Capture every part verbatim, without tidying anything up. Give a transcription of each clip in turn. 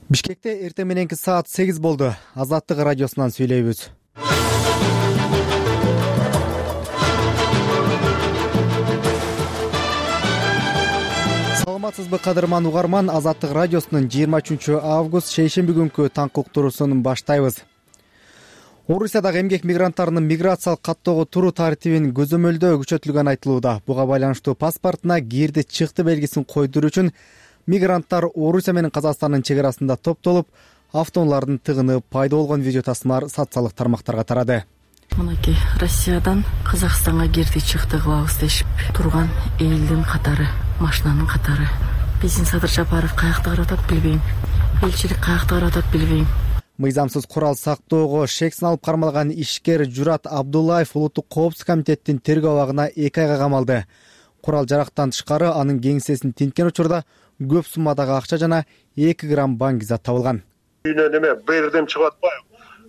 Бишкекте эртең мененки саат сегиз болду. Азаттык радиосунан сүйлөйбүз. Саламатсызбы кадырман угарман, Азаттык радиосунун жыйырма үчүнчү август шейшемби күнкү таңкы уктуруусун баштайбыз. Орусиядагы эмгек мигранттарынын миграциялык каттоого туруу тартибин көзөмөлдөө күчөтүлгөнү айтылууда. Буга байланыштуу паспортуна кирди чыкты белгисин койдуруу үчүн мигранттар Орусия менен Казакстандын чек арасында топтолуп, автоунаалардын тыгыны пайда болгон видео тасмалар социалдык тармактарга тарады. Мынакей Россиядан Казакстанга кирди чыкты кылабыз дешип турган элдин катары, машинанын катары. Биздин Садыр Жапаров каякта карап атат билбейм. Элчилик каякта карап атат билбейм. Мыйзамсыз курал сактоого шексин алып кармалган ишкер Журат Абдуллаев улуттук коопсуздук комитеттин тергөө абагына эки айга камалды. Курал жарактан тышкары анын кеңсесин тинткен учурда көп суммадагы акча жана эки грамм баңгизат табылган. Үйүнөн эме бирдем чыгып атпайбы?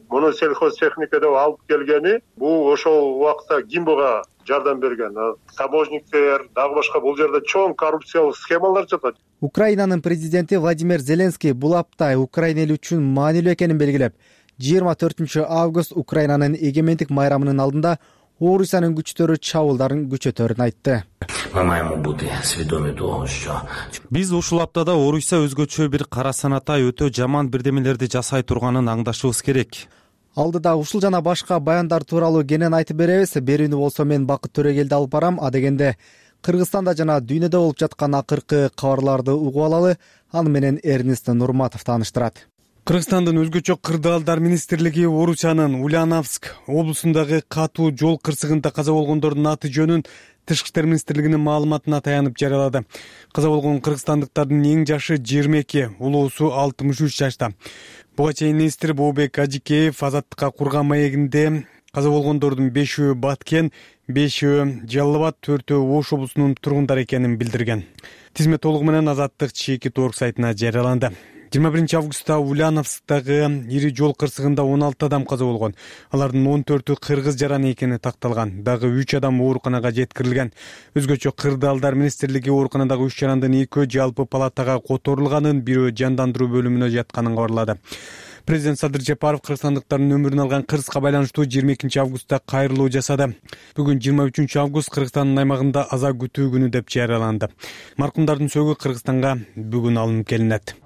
Муну сельхозтехника деп алып келгени, бул ошол убакта Гимбога жардам берген. Таможниктер, дагы башка бул жерде чоң коррупциялык схемалар жатат. Украинанын президенти Владимир Зеленский бул апта Украина эли үчүн маанилүү экенин белгилеп, жыйырма төртүнчү август Украинанын эгемендик майрамынын алдында Орусиянын күчтөрү чабуулдарын күчөтөрүн айтты. Биз ушул аптада Орусия өзгөчө бир кара санатай өтө жаман бирдемелерди жасай турганын аңдашыбыз керек. Алдыда ушул жана башка баяндар тууралуу кенен айтып беребиз. Берүүнү болсо мен Бакыт Төрөгелди алып барам. А дегенде Кыргызстанда жана дүйнөдө болуп жаткан акыркы кабарларды угуп алалы. Аны менен Эрнест Нурматов тааныштырат. Кыргызстандын өзгөчө кырдаалдар министрлиги Орусиянын Ульяновск облусундагы катуу жол кырсыгында каза болгондордун аты жөнүн Тышкы иштер министрлигинин маалыматына таянып жарыялады. Каза болгон кыргызстандыктардын эң жашы жыйырма эки, улуусу алтымыш үч жашта. Буга чейин министр Бообек Ажикеев Азаттыкка курган маегинде каза болгондордун бешөө Баткен, бешөө Жалал Абад, төртөө Ош облусунун тургундары экенин билдирген. Тизме толугу менен Азаттык чеки торг сайтына жарыяланды. жыйырма биринчи августта Ульяновсктагы ири жол кырсыгында он алты адам каза болгон. Алардын он төртү кыргыз жараны экени такталган. Дагы үч адам ооруканага жеткирилген. Өзгөчө кырдаалдар министрлиги ооруканадагы үч жарандын экөө жалпы палатага которулганын, бирөө жандандыруу бөлүмүнө жатканын кабарлады. Президент Садыр Жапаров кыргызстандыктардын өмүрүн алган кырсыкка байланыштуу жыйырма экинчи августта кайрылуу жасады. Бүгүн жыйырма үчүнчү август Кыргызстандын аймагында аза күтүү күнү деп жарыяланды. Маркумдардын сөөгү Кыргызстанга бүгүн алынып келинет.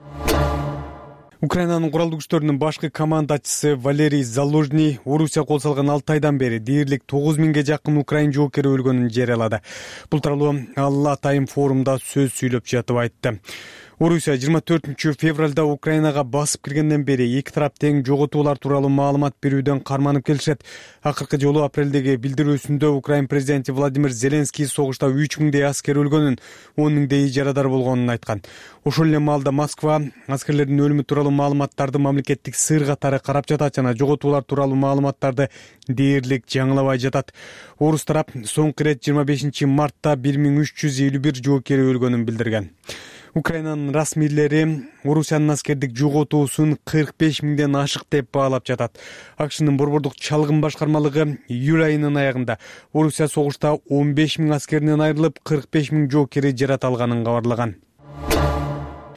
Украинанын куралдуу күчтөрүнүн башкы командачысы Валерий Залужный Орусия кол салган алты айдан бери дээрлик тогуз миңге жакын украин жоокери өлгөнүн жарыялады. Бул тууралуу ал атайын форумда сөз сүйлөп жатып айтты. Орусия жыйырма төртүнчү февралда Украинага басып киргенден бери эки тарап тең жоготуулар тууралуу маалымат берүүдөн карманып келишет. Акыркы жолу апрелдеги билдирүүсүндө Украин президенти Владимир Зеленский согушта үч миңдей аскер өлгөнүн, он миңдей жарадар болгонун айткан. Ошол эле маалда Москва аскерлердин өлүмү тууралуу маалыматтарды мамлекеттик сыр катары карап жатат жана жоготуулар тууралуу маалыматтарды дээрлик жаңылабай жатат. Орус тарап соңку ирет жыйырма бешинчи мартта бир миң үч жүз элүү бир жоокери өлгөнүн билдирген. Украинанын расмийлери Орусиянын аскердик жоготуусун кырк беш миңден ашык деп баалап жатат. АКШнын борбордук чалгын башкармалыгы июль айынын аягында Орусия согушта он беш миң аскеринен айрылып, кырк беш миң жоокери жарат алганын кабарлаган.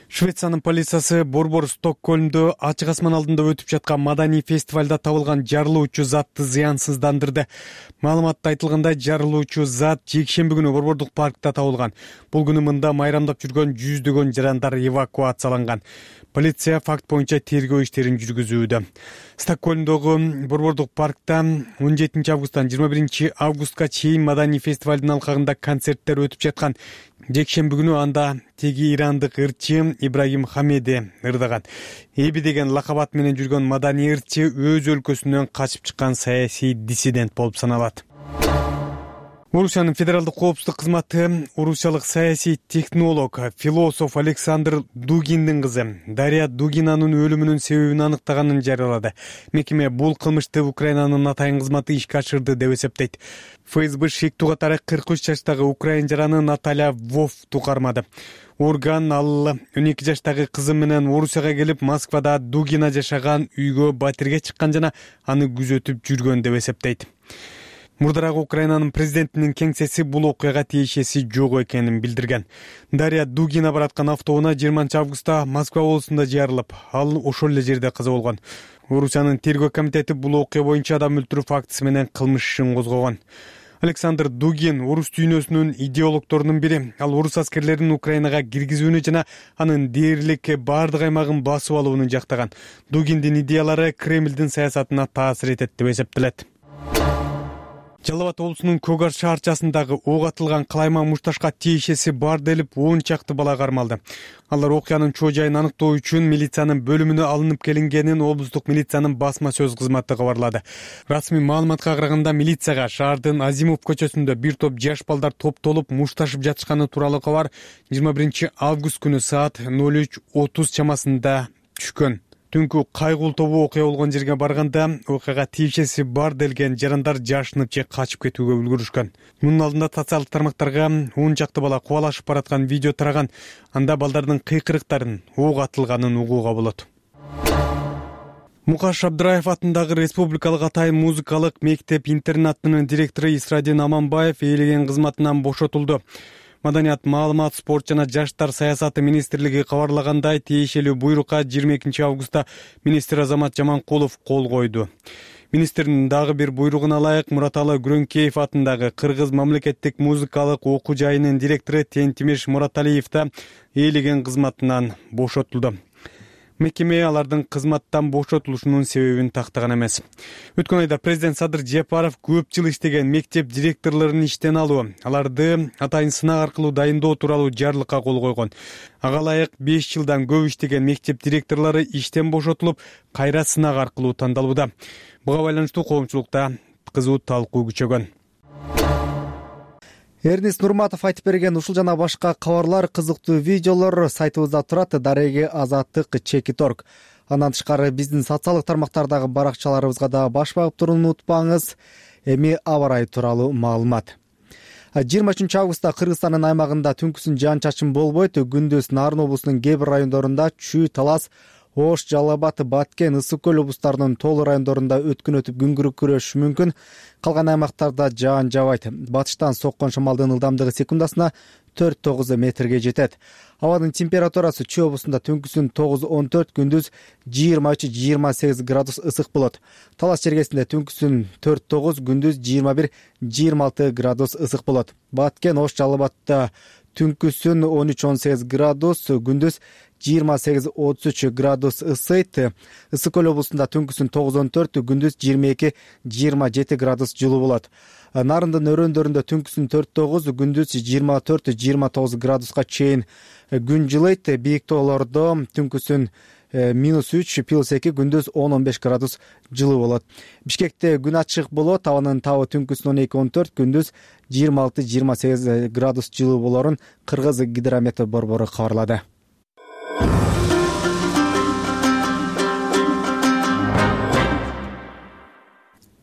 Швециянын полициясы борбор Стокгольмдо ачык асман алдында өтүп жаткан маданий фестивалда табылган жарылуучу затты зыянсыздандырды. Маалыматта айтылгандай, жарылуучу зат жекшемби күнү борбордук паркта табылган. Бул күнү мында майрамдап жүргөн жүздөгөн жарандар эвакуацияланган. Полиция факт боюнча тергөө иштерин жүргүзүүдө. Стокгольмдогу борбордук паркта он жетинчи августтан жыйырма биринчи августка чейин маданий фестивалдын алкагында концерттер өтүп жаткан. Жекшемби күнү анда теги ирандык ырчы Ибрагим Хамеди ырдаган. Эби деген лакабат менен жүргөн маданий ырчы өз өлкөсүнөн качып чыккан саясий диссидент болуп саналат. Орусиянын федералдык коопсуздук кызматы орусиялык саясий технолог, философ Александр Дугиндин кызы Дарья Дугинанын өлүмүнүн себебин аныктаганын жарыялады. Мекеме бул кылмышты Украинанын атайын кызматы ишке ашырды деп эсептейт. ФСБ шектүү катары кырк үч жаштагы украин жараны Наталья Вовту кармады. Орган ал он эки жаштагы кызы менен Орусияга келип, Москвада Дугина жашаган үйгө батирге чыккан жана аны күзөтүп жүргөн деп эсептейт. Мурдараак Украинанын президентинин кеңсеси бул окуяга тиешеси жок экенин билдирген. Дарья Дугина бараткан автоунаа жыйырманчы августта Москва облусунда жарылып, ал ошол эле жерде каза болгон. Орусиянын тергөө комитети бул окуя боюнча адам өлтүрүү фактысы менен кылмыш ишин козгогон. Александр Дугин орус дүйнөсүнүн идеологдорунун бири. Ал орус аскерлерин Украинага киргизүүнү жана анын дээрлик баардык аймагын басып алууну жактаган. Дугиндин идеялары Кремлдин саясатына таасир этет деп эсептелет. Жалал Абад облусунун Көк Ар шаарчасындагы ок атылган калайма мушташка тиешеси бар делип он чакты бала кармалды. Алар окуянын чоо жайын аныктоо үчүн милициянын бөлүмүнө алынып келингенин облустук милициянын басма сөз кызматы кабарлады. Расмий маалыматка караганда милицияга шаардын Азимов көчөсүндө бир топ жаш балдар топтолуп мушташып жатышканы тууралуу кабар жыйырма биринчи август күнү саат ноль үч отуз чамасында түшкөн. Түнкү кайгыл тобу окуя болгон жерге барганда окуяга тиешеси бар делген жарандар жашынып же качып кетүүгө үлгүрүшкөн. Мунун алдында социалдык тармактарга он чакты бала кубалашып бараткан видео тараган. Анда балдардын кыйкырыктарын, ок атылганын угууга болот. Мукаш Абдыраев атындагы Республикалык атайын музыкалык мектеп-интернатынын директору Исрадин Аманбаев ээлеген кызматынан бошотулду. Маданият, маалымат, спорт жана жаштар саясаты министрлиги кабарлагандай, тиешелүү буйрукка жыйырма экинчи августта министр Азамат Жаманкулов кол койду. Министрдин дагы бир буйругуна ылайык Мураталы Күрөңкеев атындагы Кыргыз мамлекеттик музыкалык окуу жайынын директору Тентимиш Мураталиев да ээлеген кызматынан бошотулду. Мекеме алардын кызматтан бошотулушунун себебин тактаган эмес. Өткөн айда президент Садыр Жапаров көп жыл иштеген мектеп директорлорун иштен алуу, аларды атайын сынак аркылуу дайындоо тууралуу жарлыкка кол койгон. Ага ылайык беш жылдан көп иштеген мектеп директорлору иштен бошотулуп, кайра сынак аркылуу тандалууда. Буга байланыштуу коомчулукта кызуу талкуу күчөгөн. Эрнис Нурматов айтып берген ушул жана башка кабарлар, кызыктуу видеолор сайтыбызда турат. Дареги Азаттык чекит точка орг. Андан тышкары биздин социалдык тармактардагы баракчаларыбызга да баш багып турууну унутпаңыз. Эми аба ырайы тууралуу маалымат. жыйырма үчүнчү августта Кыргызстандын аймагында түнкүсүн жаан-чачын болбойт. Күндүз Нарын облусунун кээ бир райондорунда Чүй, Талас, Ош, Жалал Абад, Баткен, Ысык көл облустарынын тоолуу райондорунда өткөн өтүп күн күрөшүшү мүмкүн. Калган аймактарда жаан жабайт. Батыштан соккон шамалдын ылдамдыгы секундасына төрт тогуз метрге жетет. Абанын температурасы Чүй облусунда түнкүсүн тогуз он төрт, күндүз жыйырма үч жыйырма сегиз градус ысык болот. Талас жергесинде түнкүсүн төрт тогуз, күндүз жыйырма бир жыйырма алты градус ысык болот. Баткен, Ош, Жалал Абадта түнкүсүн он үч он сегиз градус, күндүз жыйырма сегиз отуз үч градус ысыйт. Ысык көл облусунда түнкүсүн тогуз он төрт, күндүз жыйырма эки жыйырма жети градус жылуу болот. Нарындын өрөөндөрүндө түнкүсүн төрт тогуз, күндүз жыйырма төрт жыйырма тогуз градуска чейин күн жылыйт. Бийик тоолордо түнкүсүн минус үч, плюс эки, күндүз он он беш градус жылуу болот. Бишкекте күн ачык болот. Абанын табы түнкүсүн он эки он төрт, күндүз жыйырма алты жыйырма сегиз градус жылуу болорун Кыргыз гидрометео борбору кабарлады.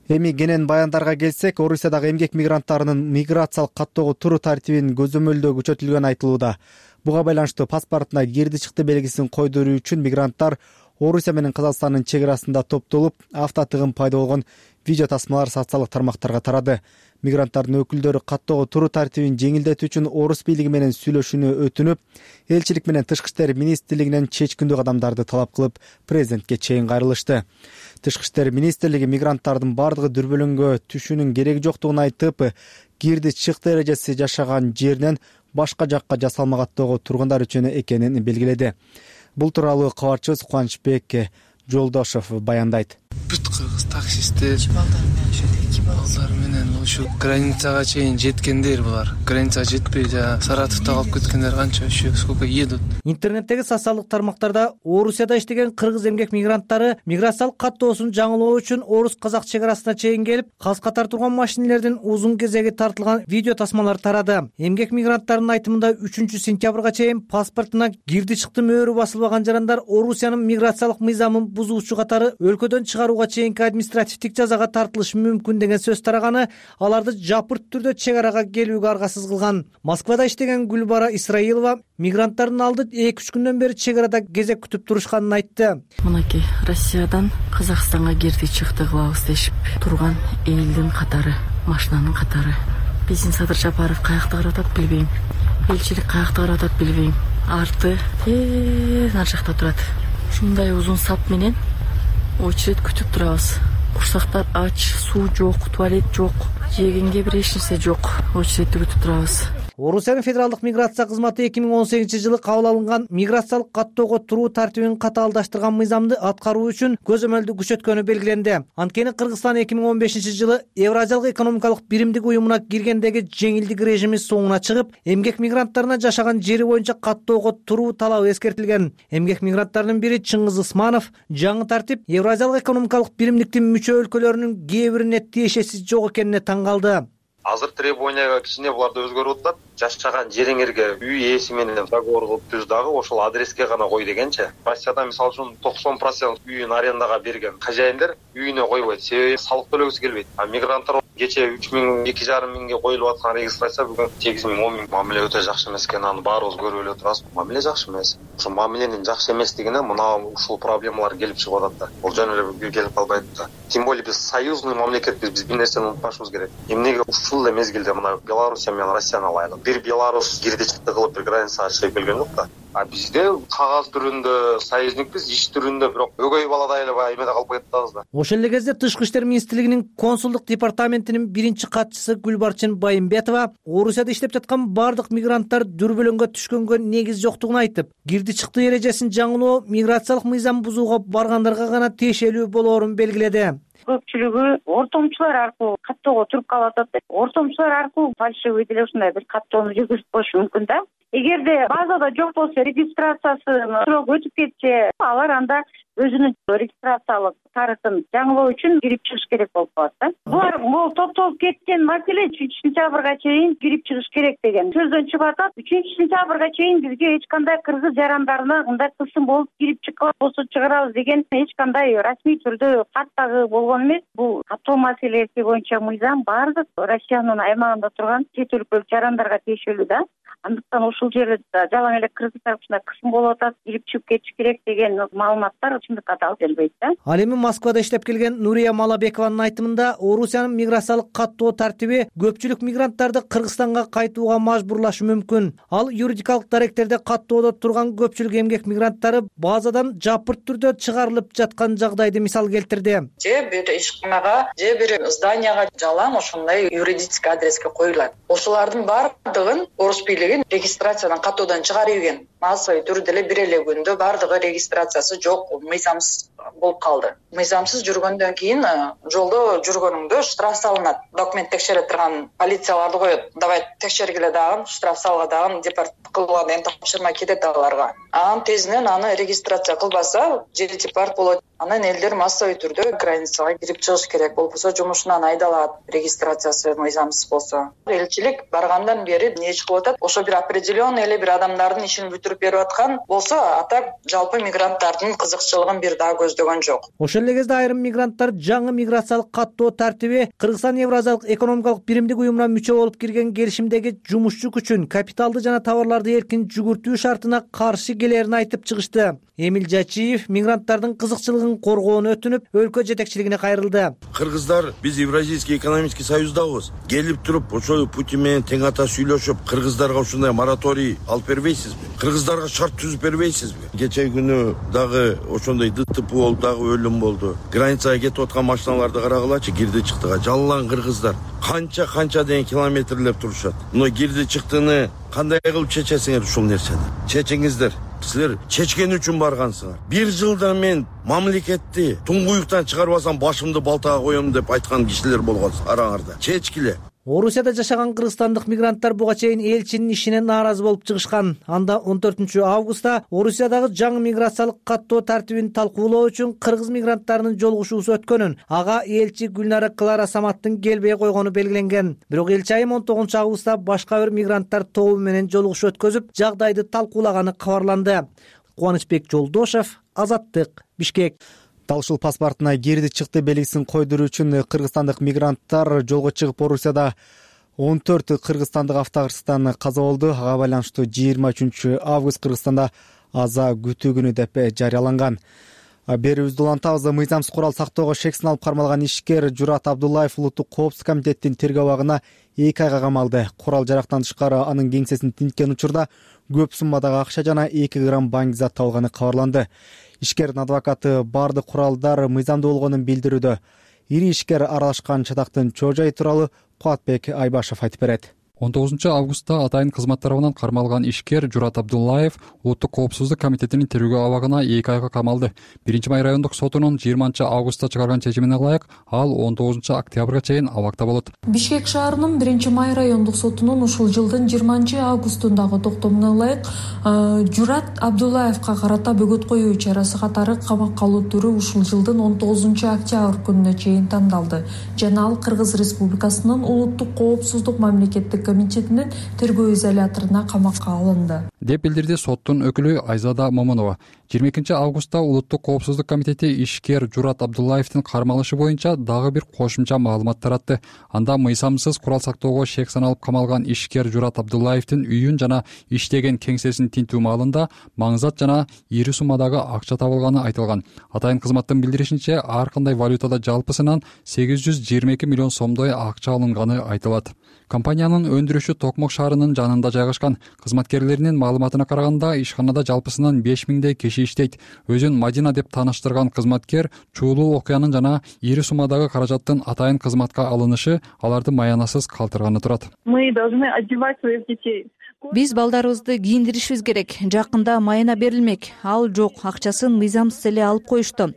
Эми кенен баяндарга келсек, Орусиядагы эмгек мигранттарынын миграциялык каттоого туруу тартибин көзөмөлдөө күчөтүлгөнү айтылууда. Буга байланыштуу паспортуна кирди чыкты белгисин койдуруу үчүн мигранттар Орусия менен Казакстандын чек арасында топтолуп, автотыгын пайда болгон видео тасмалар социалдык тармактарга тарады. Мигранттардын өкүлдөрү каттоого туруу тартибин жеңилдетүү үчүн орус бийлиги менен сүйлөшүүнү өтүнүп, элчилик менен Тышкы иштер министрлигинен чечкиндүү кадамдарды талап кылып, президентке чейин кайрылышты. Тышкы иштер министрлиги мигранттардын бардыгы дүрбөлөңгө түшүүнүн кереги жоктугун айтып, кирди чыкты эрежеси жашаган жеринен башка жакка жасалма каттоого тургундар үчүн экенин белгиледи. Бул тууралуу кабарчыбыз Кубанычбек Жолдошов баяндайт. Бүт кыргыз таксисттер балдар менен ушу границага чейин жеткендер булар. Границага жетпей жана Саратовдо калып кеткендер канча, еще сколько едут. Интернеттеги социалдык тармактарда Орусияда иштеген кыргыз эмгек мигранттары миграциялык каттоосун жаңылоо үчүн орус-казак чек арасына чейин келип, каз катар турган машинелердин узун кезеги тартылган видео тасмалар тарады. Эмгек мигранттарынын айтымында үчүнчү сентябрга чейин паспортуна кирди чыкты мөөрү басылбаган жарандар Орусиянын миграциялык мыйзамын бузуучу катары өлкөдөн чыгарууга чейинки административдик жазага тартылышы мүмкүн деген сөз тараганы аларды жапырт түрдө чек арага келүүгө аргасыз кылган. Москвада иштеген Гүлбара Исраилова мигранттардын алды эки үч күндөн бери чек арада кезек күтүп турушканын айтты. Мынакей Россиядан Казакстанга кирди чыкты кылабыз дешип турган элдин катары машинанын катары. Биздин Садыр Жапаров каякта карап атат билбейм. Элчилик каякта карап атат билбейм. Арты нар жакта турат. Ушундай узун сап менен очередь күтүп турабыз. Курсактар ач, суу жок, туалет жок, жегенге бир эч нерсе жок. Очередти күтүп турабыз. Орусиянын федералдык миграция кызматы эки миң он сегизинчи жылы кабыл алынган миграциялык каттоого туруу тартибин катаалдаштырган мыйзамды аткаруу үчүн көзөмөлдү күчөткөнү белгиленди. Анткени Кыргызстан эки миң он бешинчи жылы Евразиялык экономикалык биримдик уюмуна киргендеги жеңилдик режими соңуна чыгып, эмгек мигранттарына жашаган жери боюнча каттоого туруу талабы эскертилген. Эмгек мигранттарынын бири Чыңгыз Ысманов жаңы тартип Евразиялык экономикалык биримдиктин мүчө өлкөлөрүнүн кээ бирине тиешеси жок экенине таң калды. Азыр требованияга кичине буларда өзгөрүп атат. Жашаган жериңерге үй ээси менен договор кылып түз дагы ошол адреске гана кой дегенчи. Россияда мисалы үчүн токсон процент үйүн арендага берген хозяиндер үйүнө койбойт, себеби салык төлөгүсү келбейт. А мигранттар кече үч миң, эки жарым миңге коюлуп аткан регистрация бүгүн сегиз миң, он миң. Мамиле өтө жакшы эмес экен, аны баарыбыз көрүп эле турабыз. Мамиле жакшы эмес. Ошо мамиленин жакшы эместигине мына ушул проблемалар келип чыгып атат да. Бул жөн эле келип калбайт да. Тем более биз союзный мамлекетпиз, биз бир нерсени унутпашыбыз керек. Эмнеге ушул эле мезгилде мына Белоруссия менен Россияны алайлык. Бир Беларусь кирди чыкты кылып бир границага чыгып келген жок да. А бизде кагаз түрүндө союзникпиз, иш түрүндө бирок өгөй баладай эле баягы эмеде калып жатабыз да. Ошол эле кезде Тышкы иштер министрлигинин консулдук департаментинин биринчи катчысы Гүлбарчын Байымбетова Орусияда иштеп жаткан бардык мигранттар дүрбөлөңгө түшкөнгө негиз жоктугун айтып, кирди чыкты эрежесин жаңылоо миграциялык мыйзам бузууга баргандарга гана тиешелүү болоорун белгиледи. Көпчүлүгү ортомчулар аркылуу каттоого туруп калып атат. Ортомчулар аркылуу фальшивый деле ушундай бир каттоону жүргүзүп коюшу мүмкүн да. Эгерде базада жок болсо, регистрациясы срок өтүп кетсе, алар анда өзүнүн регистрациялык тарыхын жаңылоо үчүн кирип чыгыш керек болуп калат да. Булар бул топтолуп кеткен маселе үчүнчү сентябрга чейин кирип чыгыш керек деген сөздөн чыгып атат. үчүнчү сентябрга чейин бизге эч кандай кыргыз жарандарына мындай кысым болуп кирип чыккан болсо чыгарабыз деген эч кандай расмий түрдө кат дагы болгон эмес. Бул каттоо маселеси боюнча мыйзам бардык Россиянын аймагында турган чет өлкөлүк жарандарга тиешелүү да. Андыктан ушул жерде жалаң эле кыргыз тарапына кысым болуп атат, кирип чыгып кетиш керек деген маалыматтар чындыкка да алып келбейт да. Ал эми Москвада иштеп келген Нурия Малабекованын айтымында Орусиянын миграциялык каттоо тартиби көпчүлүк мигранттарды Кыргызстанга кайтууга мажбурлашы мүмкүн. Ал юридикалык даректерде каттоодо турган көпчүлүк эмгек мигранттары базадан жапырт түрдө чыгарылып жаткан жагдайды мисал келтирди. Же бир ишканага, же бир зданияга жалаң ошондой юридический адреске коюлат. Ошолордун бардыгын орус бийлиги регистрациядан каттоодон чыгарып ийген. Массовый түрдө эле бир эле күндө бардыгы регистрациясы жок, мыйзамсыз болуп калды. Мыйзамсыз жүргөндөн кийин жолдо жүргөнүңдө штраф салынат. Документ текшере турган полицияларды коет. Давай текшергиле дагы, штраф салга дагы, депорт кылууга деген тапшырма кетет аларга. Анан тезинен аны регистрация кылбаса, же депорт болот. Анан элдер массовый түрдө границага кирип чыгыш керек. Болбосо жумушунан айдалат, регистрациясы мыйзамсыз болсо. Элчилик баргандан бери эмне чыгып атат? Ошо бир определенный эле бир адамдардын ишин бүтүрүп берип аткан болсо, ата жалпы мигранттардын кызыкчылыгын бир да көздөгөн жок. Ошол эле кезде айрым мигранттар жаңы миграциялык каттоо тартиби Кыргызстан Евразиялык экономикалык биримдик уюмуна мүчө болуп кирген келишимдеги жумушчу күчүн, капиталды жана товарларды эркин жүгүртүү шартына каршы келерин айтып чыгышты. Эмил Жачиев мигранттардын кызыкчылыгын коргоону өтүнүп, өлкө жетекчилигине кайрылды. Кыргыздар биз Евразийский экономический союздабыз. Келип туруп, ошол пути менен тең ата сүйлөшүп, кыргыздарга ушундай мораторий алып бербейсизби? Кыргыздарга шарт түзүп бербейсизби? Кече күнү дагы ошондой ДТП болду, дагы өлүм болду. Границага кетип аткан машиналарды карагылачы, кирди чыктыга жалаң кыргыздар. Канча канча деген километрлеп турушат. Но кирди чыктыны кандай кылып чечесиңер ушул нерсени? Чечиңиздер. Силер чечкен үчүн баргансыңар. Бир жылда мен мамлекетти туңгуюктан чыгарбасам башымды балтага коем деп айткан кишилер болгон араңарда. Чечкиле. Орусияда жашаган кыргызстандык мигранттар буга чейин элчинин ишине нааразы болуп чыгышкан. Анда он төртүнчү августта Орусиядагы жаңы миграциялык каттоо тартибин талкуулоо үчүн кыргыз мигранттарынын жолугушуусу өткөнүн, ага элчи Гүлнара Клара Саматтын келбей койгону белгиленген. Бирок элчи айым он тогузунчу августта башка бир мигранттар тобу менен жолугушуу өткөзүп, жагдайды талкуулаганы кабарланды. Кубанычбек Жолдошев, Азаттык, Бишкек. Дал ушул паспортуна кирди чыкты белгисин койдуруу үчүн кыргызстандык мигранттар жолго чыгып Орусияда он төрт кыргызстандык автокырсыктан каза болду. Ага байланыштуу жыйырма үчүнчү август Кыргызстанда аза күтүү күнү деп жарыяланган. Берүүбүздү улантабыз. Мыйзамсыз курал сактоого шек салып кармалган ишкер Журат Абдуллаев улуттук коопсуздук комитеттин тергөө абагына эки айга камалды. Курал жарактан тышкары анын кеңсесин тинткен учурда көп суммадагы акча жана эки грамм баңгизат табылганы кабарланды. Ишкердин адвокаты бардык куралдар мыйзамдуу болгонун билдирүүдө. Ири ишкер аралашкан чатактын чоо жайы тууралуу Кубатбек Айбашев айтып берет. он тогузунчу августта атайын кызмат тарабынан кармалган ишкер Журат Абдуллаев улуттук коопсуздук комитетинин тергөө абагына эки айга камалды. биринчи май райондук сотунун жыйырманчы августта чыгарган чечимине ылайык ал он тогузунчу октябрга чейин абакта болот. Бишкек шаарынын биринчи май райондук сотунун ушул жылдын жыйырманчы августундагы токтомуна ылайык Журат Абдуллаевка карата бөгөт коюу чарасы катары камакка алуу түрү ушул жылдын он тогузунчу октябрь күнүнө чейин тандалды жана ал Кыргыз Республикасынын улуттук коопсуздук мамлекеттик комитетинин тергөө изоляторуна камакка алынды деп билдирди соттун өкүлү Айзада Момунова. жыйырма экинчи августта улуттук коопсуздук комитети ишкер Журат Абдуллаевдин кармалышы боюнча дагы бир кошумча маалымат таратты. Анда мыйзамсыз курал сактоого шек саналып камалган ишкер Журат Абдуллаевдин үйүн жана иштеген кеңсесин тинтүү маалында маңзат жана ири суммадагы акча табылганы айтылган. Атайын кызматтын билдиришинче, ар кандай валютада жалпысынан сегиз жүз жыйырма эки миллион сомдой акча алынганы айтылат. Компаниянын өндүрүшү Токмок шаарынын жанында жайгашкан. Кызматкерлеринин маалыматына караганда, ишканада жалпысынан беш миңдей киши иштейт. Өзүн Мадина деп тааныштырган кызматкер чуулуу окуянын жана ири суммадагы каражаттын атайын кызматка алынышы аларды маянасыз калтырганы турат. Мы должны одевать своих детей. Биз балдарыбызды кийиндиришибиз керек. Жакында майына берилмек. Ал жок, акчасын мыйзамсыз эле алып коюшту.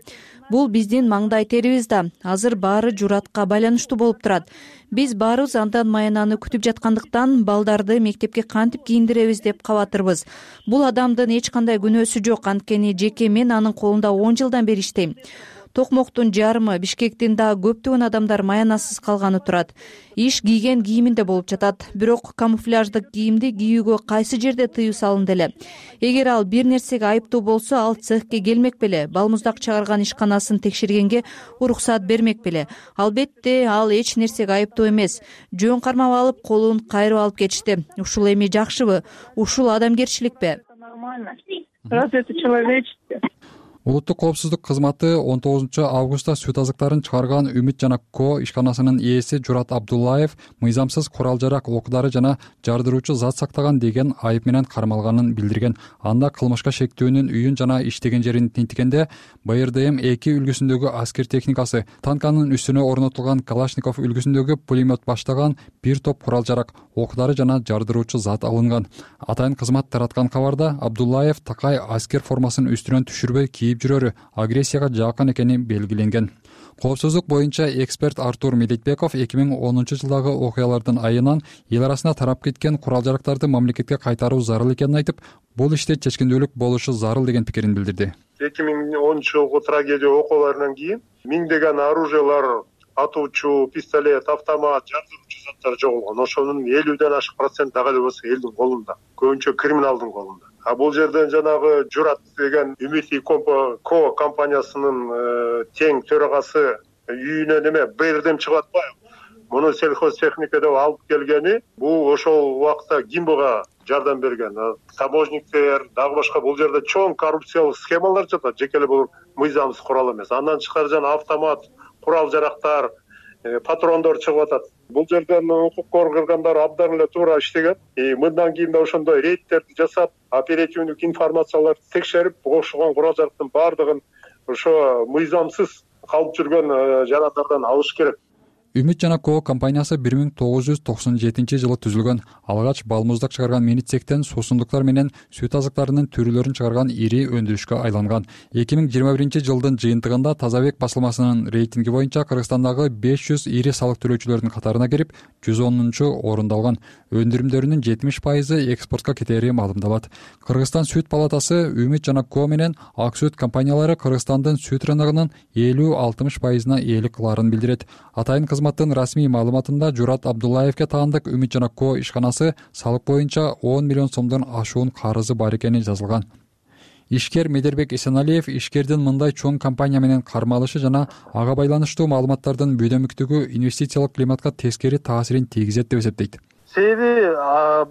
Бул биздин маңдай терибиз да. Азыр баары Журатка байланыштуу болуп турат. Биз баарыбыз андан маянаны күтүп жаткандыктан балдарды мектепке кантип кийиндиребиз деп кабатырбыз. Бул адамдын эч кандай күнөөсү жок, анткени жеке мен анын колунда он жылдан бери иштейм. Токмоктун жарымы, Бишкектин да көптөгөн адамдар маянасыз калганы турат. Иш кийген кийиминде болуп жатат. Бирок камуфляждык кийимди кийүүгө кайсы жерде тыюу салынды эле? Эгер ал бир нерсеге айыптуу болсо, ал цехке келмек беле, балмуздак чыгарган ишканасын текшергенге уруксаат бермек беле? Албетте, ал эч нерсеге айыптуу эмес. Жөн кармап алып, колун кайрып алып кетишти. Ушул эми жакшыбы? Ушул адамгерчиликпи? Разве это человечество? Улуттук коопсуздук кызматы он тогузунчу августта сүт азыктарын чыгарган Үмүт жана Ко ишканасынын ээси Журат Абдуллаев мыйзамсыз курал жарак, оқ-дары жана жардыруучу зат сактаган деген айып менен кармалганын билдирген. Анда кылмышка шектүүнүн үйүн жана иштеген жерин тинтигенде Б Р Д М эки үлгүсүндөгү аскер техникасы, танканын үстүнө орнотулган Калашников үлгүсүндөгү пулемет баштаган бир топ курал жарак, оқ-дары жана жардыруучу зат алынган. Атайын кызмат тараткан кабарда Абдуллаев такай аскер формасын үстүнөн түшүрбөй кийип жүрөрү агрессияга жакын экени белгиленген. Коопсуздук боюнча эксперт Артур Медетбеков эки миң онунчу жылдагы окуялардын айынан эл арасына тарап кеткен курал жарактарды мамлекетке кайтаруу зарыл экенин айтып, бул иште чечкиндүүлүк болушу зарыл деген пикирин билдирди. эки миң онунчу жылкы трагедия окуяларынан кийин миңдеген оружиялар, атуучу, пистолет, автомат, жардыруучу заттар жоголгон. Ошонун элүүдөн ашык процент дагы эле болсо элдин колунда, көбүнчө криминалдын колунда. А бул жерден жанагы Журат деген Үмүт Ко компаниясынын тең төрагасы үйүнөн эме Б Р Д М чыгып атпайбы? Муну сельхозтехника деп алып келгени, бул ошол убакта Гимбога жардам берген. Таможниктер, дагы башка бул жерде чоң коррупциялык схемалар жатат. Жеке эле бул мыйзамсыз курал эмес. Андан тышкары жана автомат, курал жарактар, патрондор чыгып атат. Бул жерден укук коргоогундар абдан эле туура иштеген. Мындан кийин да ошондой рейдтерди жасап, оперативдик информацияларды текшерип, ошогон курал жарактын баардыгын ошо мыйзамсыз калып жүргөн жарандардан алыш керек. Үмүт жана Ко компаниясы бир миң тогуз жүз токсон жетинчи жылы түзүлгөн. Алгач балмуздак чыгарган Миницектен суусундуктар менен сүт азыктарынын түрүлөрүн чыгарган ири өндүрүшкө айланган. эки миң жыйырма биринчи жылдын жыйынтыгында Тазабек басылмасынын рейтинги боюнча Кыргызстандагы беш жүз ири салык төлөөчүлөрдүн катарына кирип, жүз онунчу орунду алган. Өндүрүмдөрүнүн жетимиш пайызы экспортко кетери маалымдалат. Кыргызстан сүт палатасы Үмүт жана Ко менен Ак сүт компаниялары Кыргызстандын сүт рыногунун элүү алтымыш пайызына ээлик кылаарын билдирет. Атайын кызматтын расмий маалыматында Журат Абдуллаевке таандык Үмүт жана Ко ишканасы салык боюнча он миллион сомдон ашуун карызы бар экени жазылган. Ишкер Медербек Эсеналиев ишкердин мындай чоң компания менен кармалышы жана ага байланыштуу маалыматтардын бүйдөмүктүгү инвестициялык климатка тескери таасирин тийгизет деп эсептейт. Себеби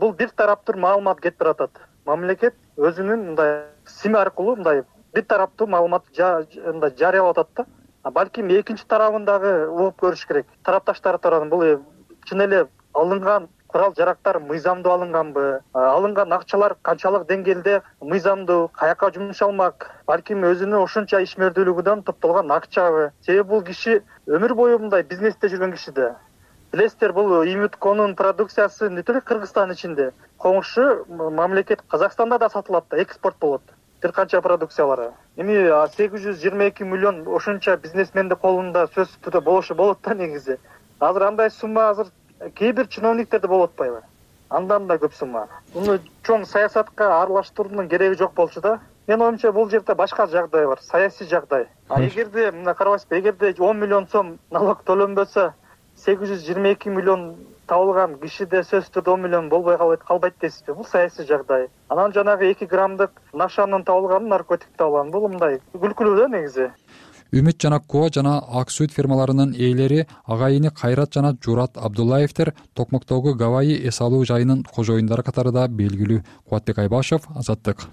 бул бир тараптуу маалымат кетип баратат. Мамлекет өзүнүн мындай сим аркылуу мындай бир тараптуу маалымат жарыялап атат да. Балким экинчи тарабын дагы угуп көрүш керек. Тарапташтар тарабынан бул чын эле алынган курал жарактар мыйзамдуу алынганбы, алынган акчалар канчалык деңгээлде мыйзамдуу, каяка жумшалмак, балким өзүнүн ошончо ишмердүүлүгүнөн топтолгон акчабы. Себеби бул киши өмүр бою мындай бизнесте жүргөн киши да. Билесиздер, бул Имютконун продукциясы не только Кыргызстан ичинде, коңшу мамлекет Казакстанда да сатылат да, экспорт болот. Бир канча продукциялары. Эми сегиз жүз жыйырма эки миллион ошончо бизнесмендин колунда сөз түрдө болушу болот да негизи. Азыр андай сумма азыр кээ бир чиновниктерде болуп атпайбы? Андан да көп сумма. Муну чоң саясатка аралаштыруунун кереги жок болчу да. Мен оюмча бул жерде башка жагдай бар, саясий жагдай. А эгерде мына карабайсызбы, эгерде он миллион сом налог төлөнбөсө, сегиз жүз жыйырма эки миллион табылган кишиде сөзсүз түрдө он миллион болбой калбайт дейсизби? Бул саясий жагдай. Анан жанагы эки граммдык нашанын табылганы, наркотик табылганы, бул мындай күлкүлүү да негизи. Үмүт жана Ко жана Ак Сүт фермаларынын ээлери агайыны Кайрат жана Журат Абдуллаевдер Токмоктогу Гавайи эс алуу жайынын кожоюндары катарында белгилүү. Кубатбек Айбашев, Азаттык.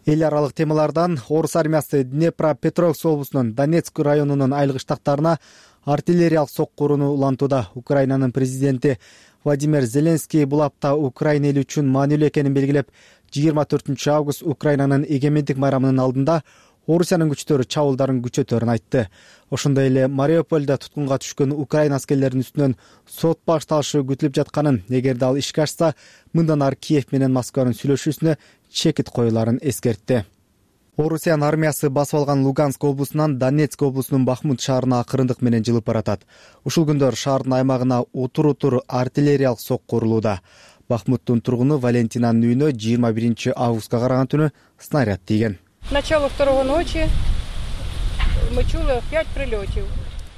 Эл аралык темалардан орус армиясы Днепропетровск облусунун Донецк районунун айылгы штабтарына артиллериялык сокку урууну улантууда. Украинанын президенти Владимир Зеленский бул апта Украина эли үчүн маанилүү экенин белгилеп, жыйырма төртүнчү август Украинанын эгемендик майрамынын алдында Орусиянын күчтөрү чабуулдарын күчөтөрүн айтты. Ошондой эле Мариупольдо туткунга түшкөн Украина аскерлеринин үстүнөн сот башталышы күтүлүп жатканын, эгерде ал ишке ашса, мындан ары Киев менен Москванын сүйлөшүүсүнө чекит коюларын эскертти. Орусиянын армиясы басып алган Луганск облусунан Донецк облусунун Бахмут шаарына акырындык менен жылып баратат. Ушул күндөр шаардын аймагына утур-утур артиллериялык сокку урулууда. Бахмуттун тургуну Валентинанын үйүнө жыйырма биринчи августка караган түнү снаряд тийген. Начало второго ночи мы чули пять прилетов.